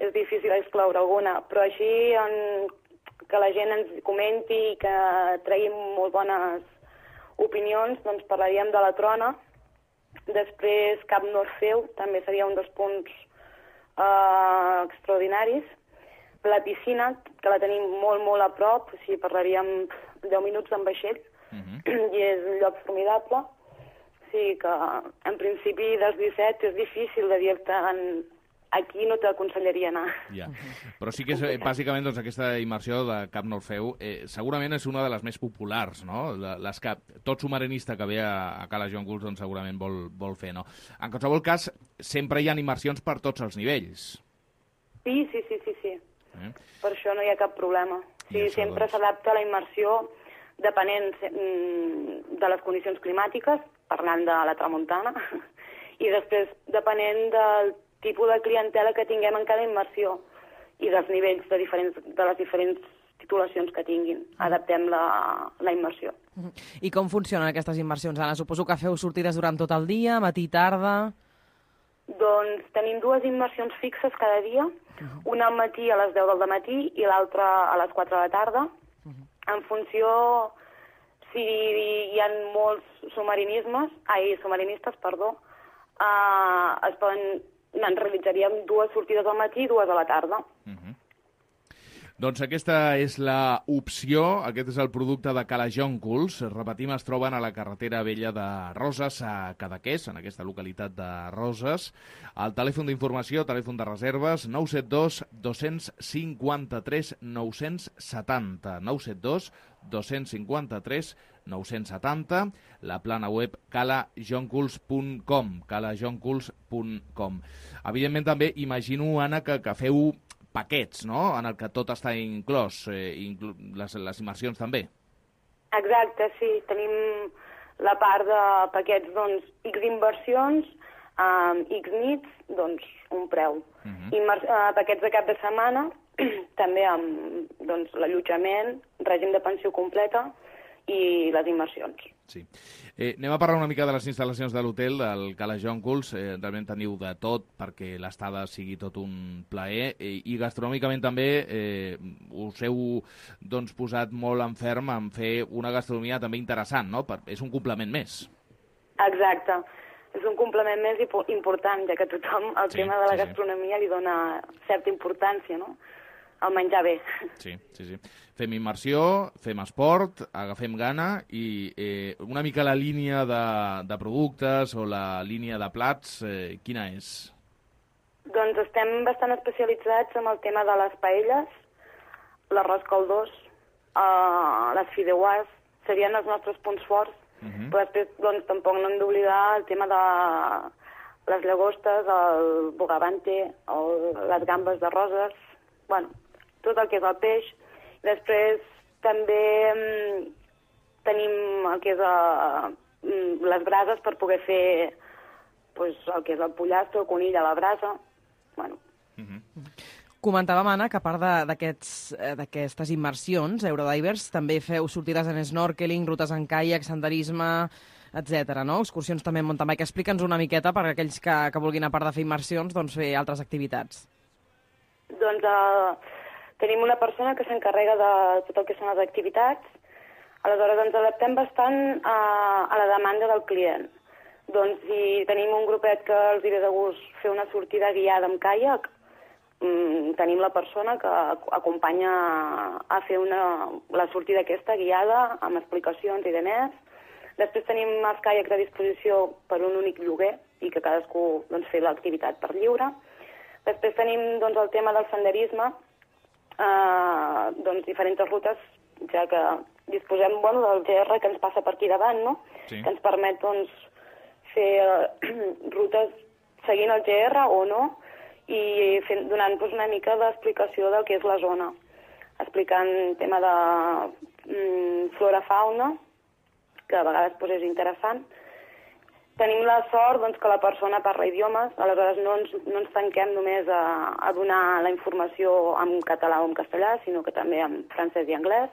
És difícil excloure alguna, però així en, que la gent ens comenti i que traguem molt bones opinions, doncs parlaríem de la Trona. Després Cap Norfeu, també seria un dels punts eh, extraordinaris. La piscina, que la tenim molt, molt a prop, o sigui, parlaríem deu minuts en vaixell, uh-huh. i és un lloc formidable. O sigui que, en principi, dels disset és difícil de dir-te en... aquí no t'aconsellaria anar. Ja. Però sí que és, bàsicament, doncs, aquesta immersió de Cap Norfeu eh, segurament és una de les més populars, no? Les que tot submarinista que ve a, a Cala Jonculs doncs, segurament vol, vol fer, no? En qualsevol cas, sempre hi ha immersions per tots els nivells. Sí, sí, sí, sí, sí. Eh? Per això no hi ha cap problema. Sí, sempre doncs... s'adapta a la immersió depenent de les condicions climàtiques, parlant de la tramuntana, i després depenent del tipus de clientela que tinguem en cada immersió i dels nivells de, diferents, de les diferents titulacions que tinguin. Adaptem la, la immersió. I com funcionen aquestes immersions, Anna? Suposo que feu sortides durant tot el dia, matí i tarda... Doncs tenim dues immersions fixes cada dia, uh-huh. una al matí a les deu del matí i l'altra a les quatre de la tarda. Uh-huh. En funció, si hi ha molts submarinismes, ai, submarinistes, perdó, uh, es poden, en realitzaríem dues sortides al matí i dues a la tarda. Uh-huh. Doncs aquesta és la opció, aquest és el producte de Cala Jonculs. Repetim, es troben a la carretera vella de Roses, a Cadaqués, en aquesta localitat de Roses. El telèfon d'informació, telèfon de reserves, nou set dos dos cinc tres nou set zero, nou set dos dos cinc tres nou set zero, la plana web cala jonculs punt com, cala jonculs punt com. Evidentment també imagino, Anna, que, que feu paquets, no?, en el que tot està inclòs, eh, inclu les, les immersions també. Exacte, sí. Tenim la part de paquets, doncs, X inversions, um, X nits, doncs, un preu. Uh -huh. Immer uh, paquets de cap de setmana, també amb doncs, l'allotjament, règim de pensió completa i les immersions. Sí. Eh, anem a parlar una mica de les instal·lacions de l'hotel, del Cala Jonculs. Eh, realment teniu de tot perquè l'estada sigui tot un plaer. Eh, I gastronòmicament també eh, us heu doncs, posat molt en ferm en fer una gastronomia també interessant, no? Per, és un complement més. Exacte. És un complement més important, ja que tothom el sí, tema de la sí, gastronomia sí. li dona certa importància, no?, al menjar bé. Sí, sí, sí. Fem immersió, fem esport, agafem gana i eh, una mica la línia de, de productes o la línia de plats, eh, quina és? Doncs estem bastant especialitzats en el tema de les paelles, l'arròs caldós, eh, les fideuàs, serien els nostres punts forts, uh -huh. però després doncs, tampoc no hem d'oblidar el tema de les llagostes, el bogavante, el, les gambes de roses, bueno, tot el que és el peix. Després també mm, tenim el que és a, mm, les brases per poder fer pues, el que és el pollastre, el conill a la brasa. Bueno. Uh-huh. Comentàvem, Anna, que a part d'aquestes immersions, Eurodivers, també feu sortides en snorkeling, rutes en caiac, senderisme, etcètera, no? Excursions també en mountain bike. Explica'ns una miqueta per a aquells que, que vulguin, a part de fer immersions, doncs fer altres activitats. Doncs uh, tenim una persona que s'encarrega de tot el que són les activitats. Aleshores ens adaptem bastant a, a la demanda del client. Doncs si tenim un grupet que els hi ve de gust fer una sortida guiada amb caiac, mm, tenim la persona que acompanya a fer una, la sortida aquesta guiada amb explicacions i demés. Després tenim els caiacs a disposició per un únic lloguer i que cadascú doncs, fer l'activitat per lliure. Després tenim doncs, el tema del senderisme, eh, doncs, diferents rutes, ja que disposem bueno, del G R que ens passa per aquí davant, no? Sí. Que ens permet doncs, fer eh, rutes seguint el G R o no, i fent, donant doncs, una mica d'explicació del que és la zona, explicant tema de mm, flora-fauna, que a vegades doncs, és interessant. Tenim la sort doncs, que la persona parla idiomes, aleshores no ens, no ens tanquem només a, a donar la informació en català o en castellà, sinó que també en francès i anglès.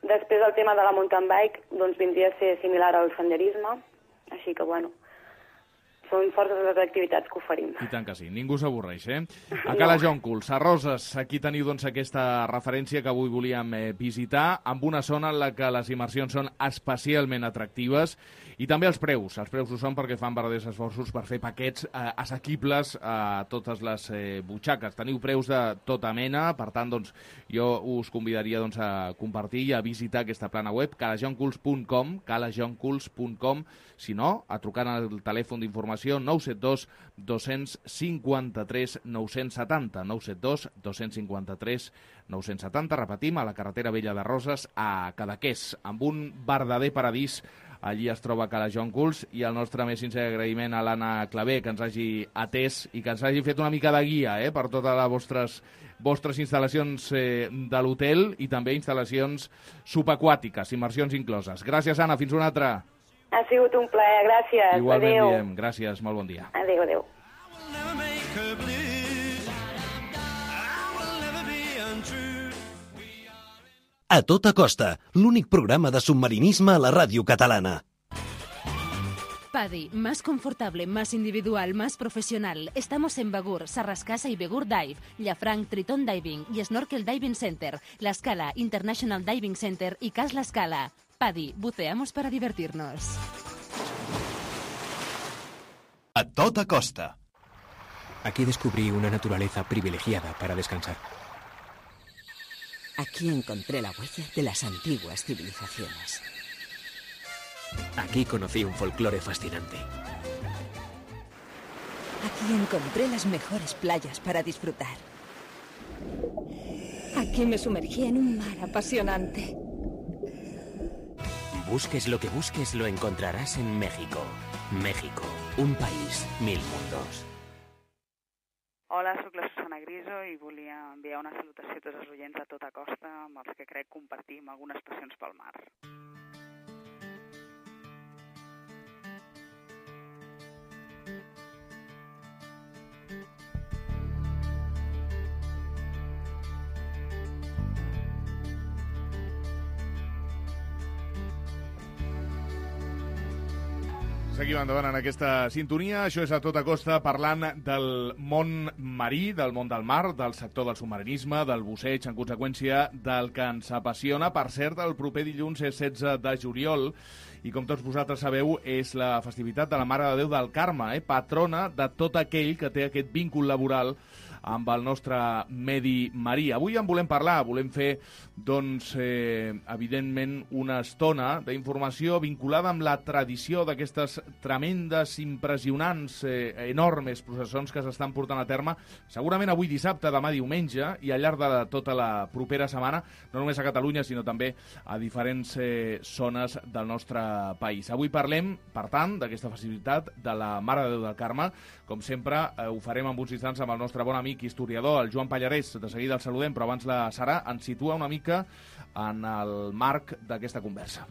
Després el tema de la mountain bike doncs, vindria a ser similar al senderisme, així que bueno, són forces les activitats que oferim. I tant que sí, ningú s'avorreix, eh? A Cala Jonculs, a Roses, aquí teniu doncs, aquesta referència que avui volíem eh, visitar, amb una zona en la que les immersions són especialment atractives i també els preus. Els preus ho són perquè fan verdaders esforços per fer paquets eh, assequibles a totes les eh, butxaques. Teniu preus de tota mena, per tant, doncs, jo us convidaria doncs, a compartir i a visitar aquesta plana web, cala jonculs punt com, cala jonculs punt com, si no, a trucar al telèfon d'informació nou set dos dos cinc tres nou set zero, nou set dos dos cinc tres nou set zero, repetim, a la carretera vella de Roses, a Cadaqués, amb un verdader paradís. Allí es troba Cala Jonculs, i el nostre més sincer agraïment a l'Anna Clavé, que ens hagi atès i que ens hagi fet una mica de guia eh, per totes les vostres, vostres instal·lacions eh, de l'hotel i també instal·lacions subaquàtiques, immersions incloses. Gràcies, Anna, fins una altra. Ha sigut un plaer, gràcies. Igualment adéu. Diem, gràcies, molt bon dia. Adéu, adéu. A tota costa, l'únic programa de submarinisme a la ràdio catalana. PADI, más confortable, más individual, más profesional. Estamos en Begur, Sarrascasa y Begur Dive, Llafranc, Triton Diving y Snorkel Diving Center, La Scala, International Diving Center y Cas La Scala. PADI, buceamos para divertirnos. A tota costa. Aquí descubrí una naturaleza privilegiada para descansar. Aquí encontré la huella de las antiguas civilizaciones. Aquí conocí un folclore fascinante. Aquí encontré las mejores playas para disfrutar. Aquí me sumergí en un mar apasionante. Busques lo que busques, lo encontrarás en México. México, un país, mil mundos. Hola, sóc la Susana Griso i volia enviar una salutació a tots els oients a tota costa amb els que crec compartim algunes passions pel mar. Seguim endavant en aquesta sintonia. Això és A Tota Costa, parlant del món marí, del món del mar, del sector del submarinisme, del busseig, en conseqüència, del que ens apassiona. Per cert, el proper dilluns és setze de juliol i, com tots vosaltres sabeu, és la festivitat de la Mare de Déu del Carme, eh? patrona de tot aquell que té aquest vincul laboral amb el nostre medi marí. Avui en volem parlar, volem fer, doncs, eh, evidentment, una estona d'informació vinculada amb la tradició d'aquestes tremendes, impressionants, eh, enormes processons que s'estan portant a terme, segurament avui dissabte, demà diumenge, i al llarg de tota la propera setmana, no només a Catalunya, sinó també a diferents eh, zones del nostre país. Avui parlem, per tant, d'aquesta festivitat de la Mare de Déu del Carme. Com sempre, eh, ho farem en uns instants amb el nostre bon amic historiador, el Joan Pallarès. De seguida el saludem, però abans la Sara ens situa una mica en el marc d'aquesta conversa.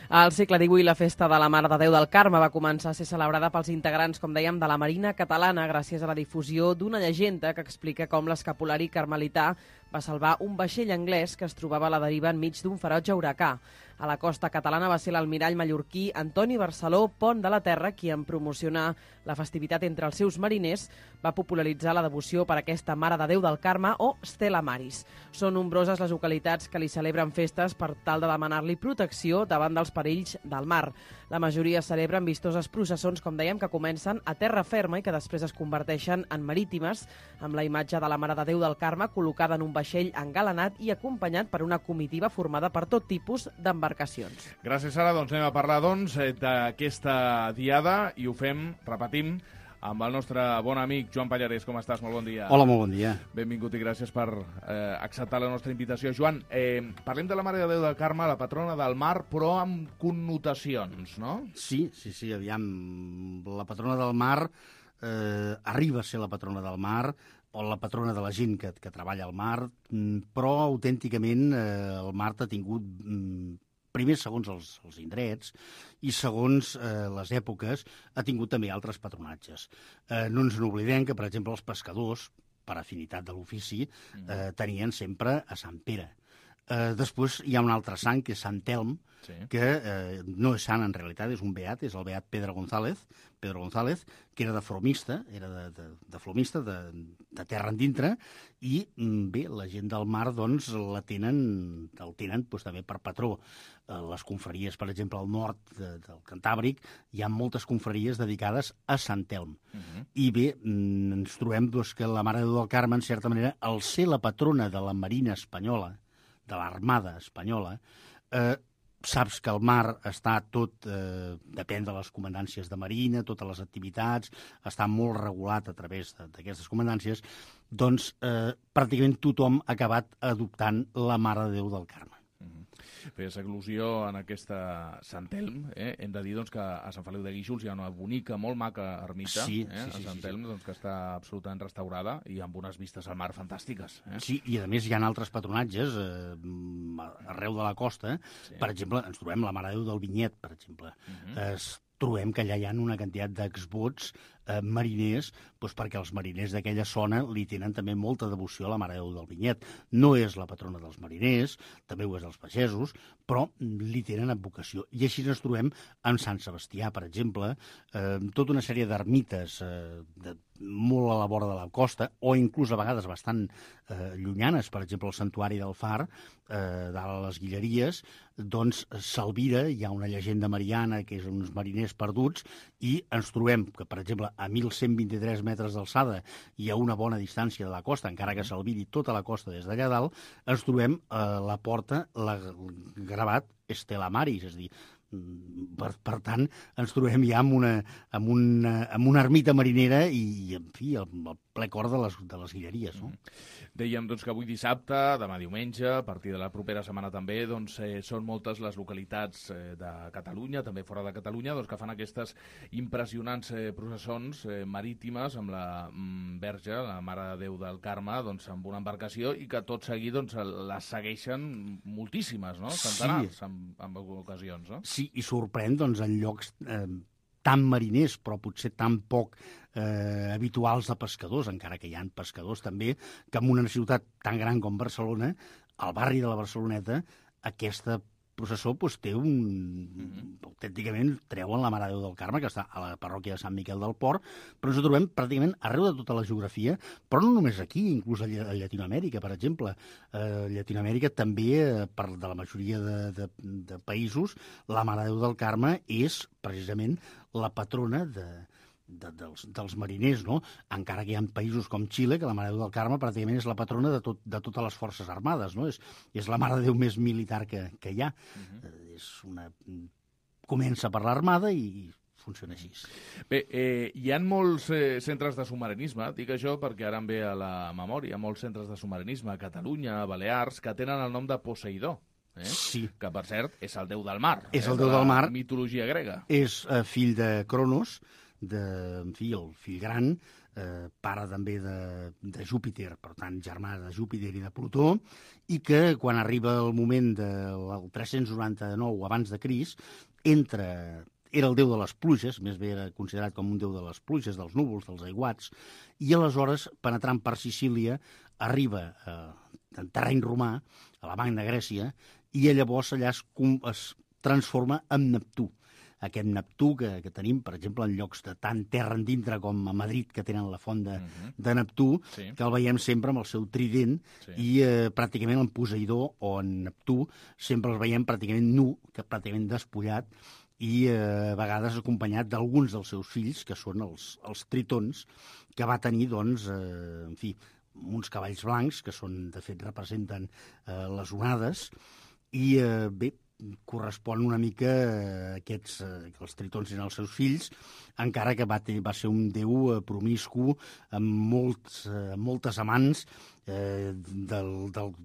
Al segle divuit, la festa de la Mare de Déu del Carme va començar a ser celebrada pels integrants, com dèiem, de la Marina Catalana, gràcies a la difusió d'una llegenda que explica com l'escapulari carmelità va salvar un vaixell anglès que es trobava a la deriva enmig d'un ferotge huracà. A la costa catalana va ser l'almirall mallorquí Antoni Barceló Pont de la Terra qui, en promocionar la festivitat entre els seus mariners, va popularitzar la devoció per aquesta Mare de Déu del Carme o Stella Maris. Són nombroses les localitats que li celebren festes per tal de demanar-li protecció davant dels perills del mar. La majoria celebren vistoses processons, com dèiem, que comencen a terra ferma i que després es converteixen en marítimes, amb la imatge de la Mare de Déu del Carme col·locada en un vaixell engalanat i acompanyat per una comitiva formada per tot tipus d'embarcacions. Gràcies, Sara. Doncs anem a parlar doncs, d'aquesta diada i ho fem, repetim, amb el nostre bon amic Joan Pallarès. Com estàs? Molt bon dia. Hola, molt bon dia. Benvingut i gràcies per eh, acceptar la nostra invitació. Joan, eh, parlem de la Mare de Déu del Carme, la patrona del mar, però amb connotacions, no? Sí, sí, sí, aviam. La patrona del mar eh, arriba a ser la patrona del mar, o la patrona de la gent que, que treballa al mar, però autènticament eh, el mar ha tingut... Mm, primer, segons els, els indrets, i segons eh, les èpoques, ha tingut també altres patronatges. Eh, no ens n'oblidem que, per exemple, els pescadors, per afinitat de l'ofici, eh, tenien sempre a Sant Pere. Eh, després hi ha un altre sant, que és Sant Telm, sí. que eh, no és sant en realitat, és un beat, és el beat Pedro González, Pedro González, que era de flomista, era de, de, de flomista, de, de terra endintre, i bé, la gent del mar doncs la tenen, el tenen doncs, també per patró. Eh, les confraries, per exemple, al nord de, del Cantàbric, hi ha moltes confraries dedicades a Sant Telm. Uh -huh. I bé, ens trobem doncs, que la Mare de Déu del Carme, en certa manera, al ser la patrona de la Marina espanyola, de l'Armada espanyola, eh, saps que el mar està tot, eh, depèn de les comandàncies de Marina, totes les activitats, està molt regulat a través d'aquestes comandàncies, doncs eh, pràcticament tothom ha acabat adoptant la Mare de Déu del Carme. Feies al·lusió en aquesta Sant Telm, eh? Hem de dir doncs, que a Sant Feliu de Guíxols hi ha una bonica, molt maca ermita, sí, eh? sí, sí, a Sant Telm, doncs, que està absolutament restaurada i amb unes vistes al mar fantàstiques. Eh? Sí, i a més hi ha altres patronatges eh, arreu de la costa. Sí. Per exemple, ens trobem la Mare de Déu del Vinyet, per exemple. Uh -huh. es trobem que allà hi ha una quantitat d'exvots eh, mariners, doncs perquè els mariners d'aquella zona li tenen també molta devoció a la Mare de Déu del Vinyet. No és la patrona dels mariners, també ho és dels pagesos, però li tenen advocació. I així ens trobem en Sant Sebastià, per exemple, eh, tota una sèrie d'ermites eh, de, molt a la vora de la costa, o inclús a vegades bastant eh, llunyanes, per exemple, el Santuari del Far, eh, dalt a les Guilleries, doncs s'alvira, hi ha una llegenda mariana que és uns mariners perduts, i ens trobem que, per exemple, a mil cent vint-i-tres metres d'alçada i a una bona distància de la costa, encara que s'albiri tota la costa des d'allà dalt, ens trobem a la porta la, gravat Stella Maris, és a dir, per, per tant, ens trobem ja amb una, amb una, amb una ermita marinera i, en fi, el, el ple cor de les, de les guilleries. No? Dèiem doncs, que avui dissabte, demà diumenge, a partir de la propera setmana també, doncs, eh, són moltes les localitats eh, de Catalunya, també fora de Catalunya, doncs, que fan aquestes impressionants eh, processons eh, marítimes amb la mm, Verge, la Mare de Déu del Carme, doncs, amb una embarcació i que tot seguit doncs, les segueixen moltíssimes, no? Centenars, sí. en, en ocasions, no? Sí, i sorprèn doncs, en llocs eh, tan mariners, però potser tan poc eh, habituals de pescadors, encara que hi ha pescadors també, que en una ciutat tan gran com Barcelona, al barri de la Barceloneta, aquesta processó doncs, té un... Mm-hmm. autènticament treuen la Mare de Déu del Carme, que està a la parròquia de Sant Miquel del Port, però ens ho trobem pràcticament arreu de tota la geografia, però no només aquí, inclús a Llatinoamèrica, per exemple. A Llatinoamèrica també, per de la majoria de, de, de països, la Mare de Déu del Carme és precisament la patrona de, de, dels, dels mariners, no? Encara que hi ha països com Xile, que la Mare de Déu del Carme pràcticament és la patrona de, tot, de totes les forces armades, no? És, és la Mare de Déu més militar que, que hi ha. Uh-huh. eh, és una... Comença per l'armada i funciona així. Bé, eh, hi ha molts eh, centres de submarinisme, dic això perquè ara em ve a la memòria, molts centres de submarinisme a Catalunya, a Balears, que tenen el nom de Poseidó. Eh? Sí. Que, per cert, és el déu del mar. És eh? el déu del mar. La mitologia grega. És eh, fill de Cronos, de, en fi, el fill gran, eh, pare també de, de Júpiter, per tant, germà de Júpiter i de Plutó, i que quan arriba el moment del tres-cents noranta-nou abans de Crist, entra... Era el déu de les pluges, més bé era considerat com un déu de les pluges, dels núvols, dels aiguats, i aleshores, penetrant per Sicília, arriba eh, en terreny romà, a la Magna Grècia, i llavors allà es, es transforma en Neptú. Aquest Neptú que, que tenim, per exemple, en llocs de tant terra endintre com a Madrid, que tenen la font de, uh-huh. de Neptú, sí. que el veiem sempre amb el seu trident, sí. i eh, pràcticament en Poseidó o en Neptú sempre el veiem pràcticament nu, que pràcticament despullat, i eh, a vegades acompanyat d'alguns dels seus fills, que són els, els tritons, que va tenir, doncs, eh, en fi, uns cavalls blancs, que són, de fet, representen eh, les onades, i, eh, bé, correspon una mica a aquests, que els tritons eren els seus fills, encara que va, tenir, va ser un déu promiscu amb, molts, amb moltes amants, eh, del, del,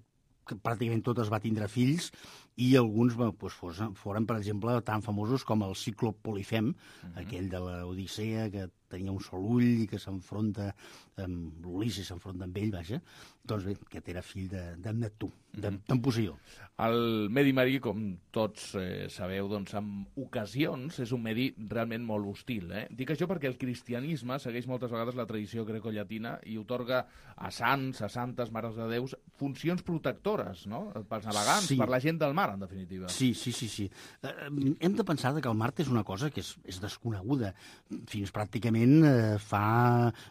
que pràcticament totes va tindre fills, i alguns doncs, foren, foren, per exemple, tan famosos com el Cíclop Polifem, uh-huh. aquell de l'Odissea, que tenia un sol ull i que s'enfronta amb l'Ulisses, s'enfronta amb ell, vaja, doncs bé, aquest era fill de, de Neptú, de, uh-huh. d'en Poseidó. El medi marí, com tots eh, sabeu, doncs, en ocasions és un medi realment molt hostil. Eh? Dic això perquè el cristianisme segueix moltes vegades la tradició grecollatina i otorga a sants, a santes, mares de déus, funcions protectores, no? Pels navegants, sí. per la gent del mar, en definitiva. Sí, sí, sí. sí. Eh, hem de pensar que el mar és una cosa que és, és desconeguda. Fins pràcticament eh, fa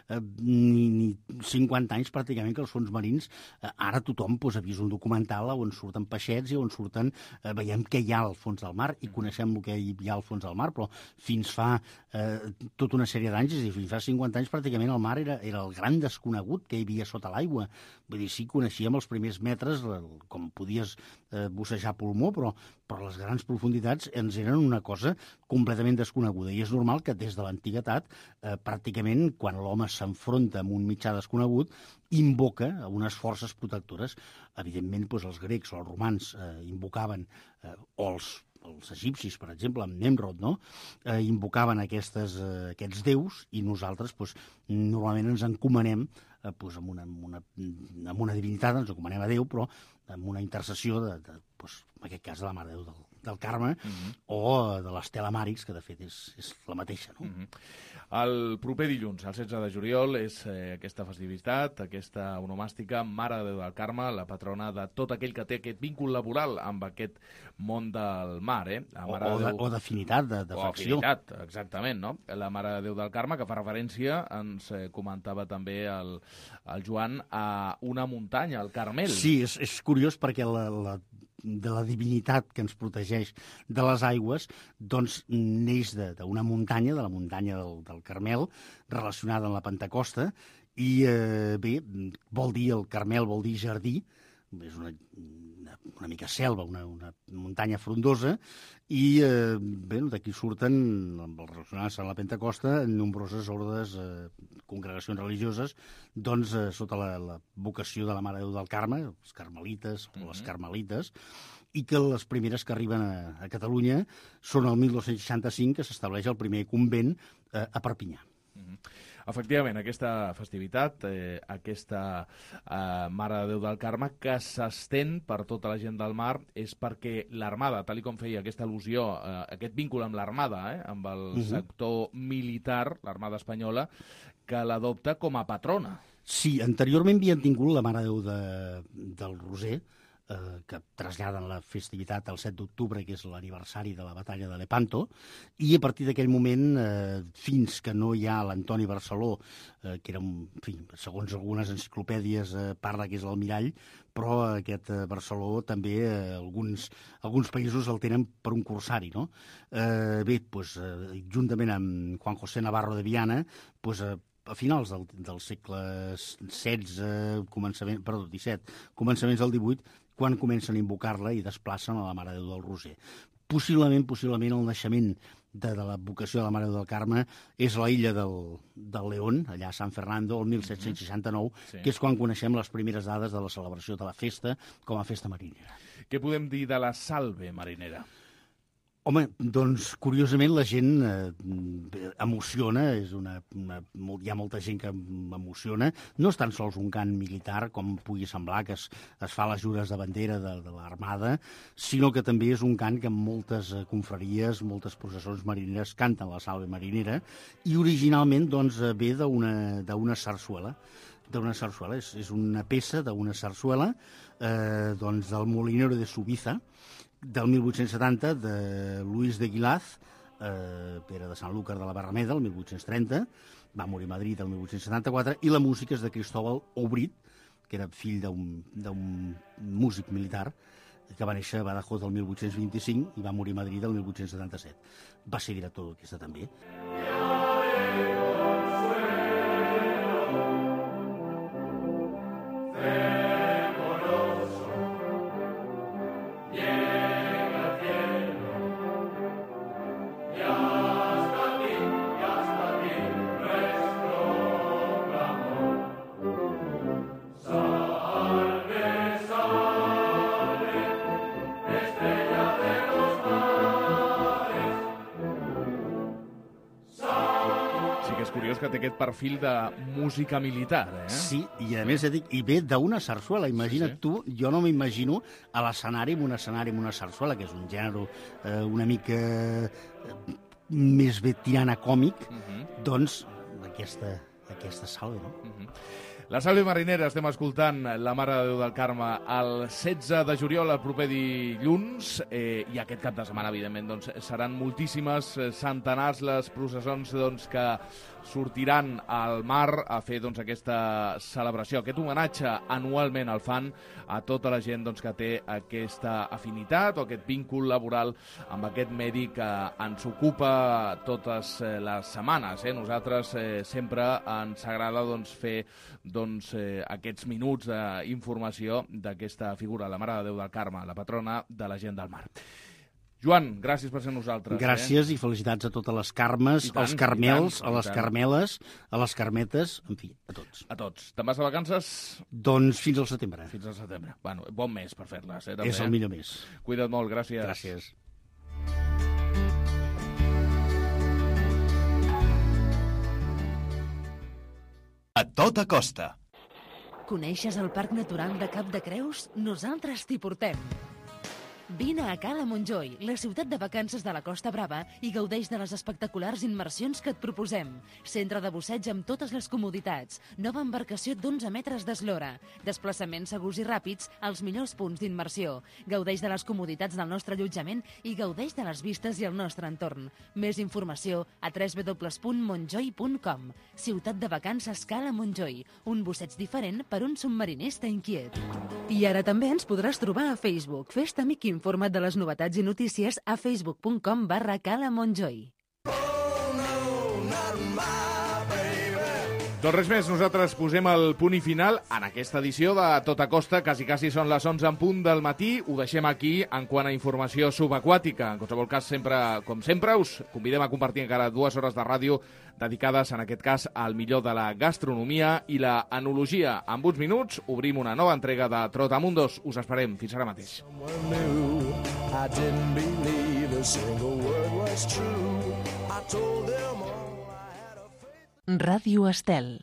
eh, ni, ni cinquanta anys pràcticament que els fons marins, eh, ara tothom pues, ha vist un documental on surten peixets i on surten, eh, veiem què hi ha al fons del mar i coneixem el que hi ha al fons del mar, però fins fa eh, tota una sèrie d'anys, és a dir, fins fa cinquanta anys pràcticament el mar era, era el gran desconegut que hi havia sota l'aigua. Vull dir, sí, coneixíem els primers metres, com podies eh, bussejar pulmó, però, però les grans profunditats ens eren una cosa completament desconeguda. I és normal que des de l'antiguitat, eh, pràcticament, quan l'home s'enfronta amb un mitjà desconegut, invoca unes forces protectores. Evidentment, doncs, els grecs o els romans eh, invocaven, eh, o els, els egipcis, per exemple, amb Nemrod, no? eh, invocaven aquestes, eh, aquests déus i nosaltres doncs, normalment ens encomanem eh, doncs, amb, una, amb, una, amb una divinitat, ens encomanem a Déu, però amb una intercessió, de, de, doncs, en aquest cas, de la Mare de Déu del, del Carme, uh-huh. o de l'Estela Maris, que de fet és, és la mateixa. No? Uh-huh. El proper dilluns, el setze de juliol, és eh, aquesta festivitat, aquesta onomàstica Mare de Déu del Carme, la patrona de tot aquell que té aquest vincul laboral amb aquest món del mar. Eh? La Mare o, o, de de, o d'afinitat, de, de o facció. afinitat, exactament. No? La Mare de Déu del Carme, que fa referència, ens eh, comentava també el, el Joan, a una muntanya, el Carmel. Sí, és, és curiós perquè la, la de la divinitat que ens protegeix de les aigües, doncs neix d'una muntanya, de la muntanya del, del Carmel, relacionada amb la Pentecosta, i eh, bé, vol dir, el Carmel vol dir jardí, és una, una, una mica selva, una, una muntanya frondosa, i eh, bé, d'aquí surten, relacionats amb la Pentecosta, nombroses ordes, eh, congregacions religioses, doncs eh, sota la, la vocació de la Mare de Déu del Carme, els carmelites o les carmelites, i que les primeres que arriben a, a Catalunya són el mil dos-cents seixanta-cinc, que s'estableix el primer convent eh, a Perpinyà. Mm-hmm. Efectivament, aquesta festivitat, eh, aquesta eh, Mare de Déu del Carme, que s'estén per tota la gent del mar, és perquè l'Armada, tal com feia aquesta al·lusió, eh, aquest víncul amb l'Armada, eh, amb el uh-huh. sector militar, l'Armada espanyola, que l'adopta com a patrona. Sí, anteriorment havien tingut la Mare de Déu de, del Roser, eh, que traslladen la festivitat al set d'octubre, que és l'aniversari de la batalla de Lepanto, i a partir d'aquell moment, eh, fins que no hi ha l'Antoni Barceló, eh, que era, un, en fi, segons algunes enciclopèdies, eh, parla que és l'almirall, però aquest eh, Barceló també, eh, alguns, alguns països el tenen per un corsari, no? Eh, bé, doncs, eh, juntament amb Juan José Navarro de Viana, doncs, eh, a finals del, del segle setze, començament, perdó, disset, començaments del divuit, quan comencen a invocar-la i desplacen a la Mare de Déu del Roser. Possiblement, possiblement el naixement de, de la vocació de la Mare de Déu del Carme és la illa del, del León, allà a San Fernando, el mil set-cents seixanta-nou, sí. que és quan coneixem les primeres dades de la celebració de la festa com a festa marinera. Què podem dir de la salve marinera? Home, doncs, curiosament, la gent eh, emociona, és una, una, hi ha molta gent que emociona. No és tan sols un cant militar, com pugui semblar, que es, es fa a les jures de bandera de, de l'Armada, sinó que també és un cant que en moltes eh, confraries, moltes processons marineres canten la salve marinera, i originalment doncs, ve d'una sarsuela. d'una sarsuela, és, és una peça d'una sarsuela eh, doncs, del Molinero de Subiza, del mil vuit-cents setanta, de Luis de Guilaz, eh, Pere de Sanlúcar de la Barrameda, el mil vuit-cents trenta, va morir a Madrid el mil vuit-cents setanta-quatre, i la música és de Cristóbal Obrit, que era fill d'un músic militar, que va néixer a Badajoz el mil vuit-cents vint-i-cinc i va morir a Madrid el mil vuit-cents setanta-set. Va ser director d'aquesta també. Que té aquest perfil de música militar, eh? Sí, i a més, dic, i ve d'una sarsuela. Imagina't sí, sí. tu, jo no m'imagino a l'escenari, en un escenari amb una sarsuela, que és un gènere eh, una mica eh, més bé tirant a còmic, uh -huh. doncs aquesta, aquesta salve, no? Uh -huh. La salve marinera, estem escoltant la Mare de Déu del Carme el setze de juliol, el proper dilluns, eh, i aquest cap de setmana, evidentment, doncs, seran moltíssimes, centenars les processons doncs, que sortiran al mar a fer doncs, aquesta celebració, aquest homenatge anualment el fan a tota la gent doncs, que té aquesta afinitat o aquest víncul laboral amb aquest medi que ens ocupa totes les setmanes. Eh? Nosaltres eh, sempre ens agrada doncs, fer doncs, eh, aquests minuts d'informació d'aquesta figura, la Mare de Déu del Carme, la patrona de la gent del mar. Joan, gràcies per ser nosaltres. Gràcies eh? i felicitats a totes les carmes, tant, als carmels, tant, a les carmeles, a les carmetes, en fi, a tots. A tots. Te'n vas de vacances? Doncs fins al setembre. Fins al setembre. Bueno, bon mes per fer-les, eh? També, és el millor mes. Cuida't molt, gràcies. Gràcies. A tota costa. Coneixes el Parc Natural de Cap de Creus? Nosaltres t'hi portem. Vine a Cala Montjoi, la ciutat de vacances de la Costa Brava, i gaudeix de les espectaculars immersions que et proposem. Centre de busseig amb totes les comoditats, nova embarcació d'onze metres d'eslora, desplaçaments segurs i ràpids als millors punts d'immersió. Gaudeix de les comoditats del nostre allotjament i gaudeix de les vistes i el nostre entorn. Més informació a w w w punt montjoi punt com. Ciutat de vacances Cala Montjoi, un busseig diferent per un submarinista inquiet. I ara també ens podràs trobar a Facebook. Fes-te amic informat de les novetats i notícies a facebook punt com barra Cala Montjoi. Doncs res més, nosaltres posem el punt i final en aquesta edició de Tota Costa. Quasi, quasi són les onze en punt del matí. Ho deixem aquí en quant a informació subaquàtica. En qualsevol cas, sempre, com sempre, us convidem a compartir encara dues hores de ràdio dedicades, en aquest cas, al millor de la gastronomia i la enologia. En uns minuts obrim una nova entrega de Trotamundos. Us esperem. Fins ara mateix. Ràdio Estel.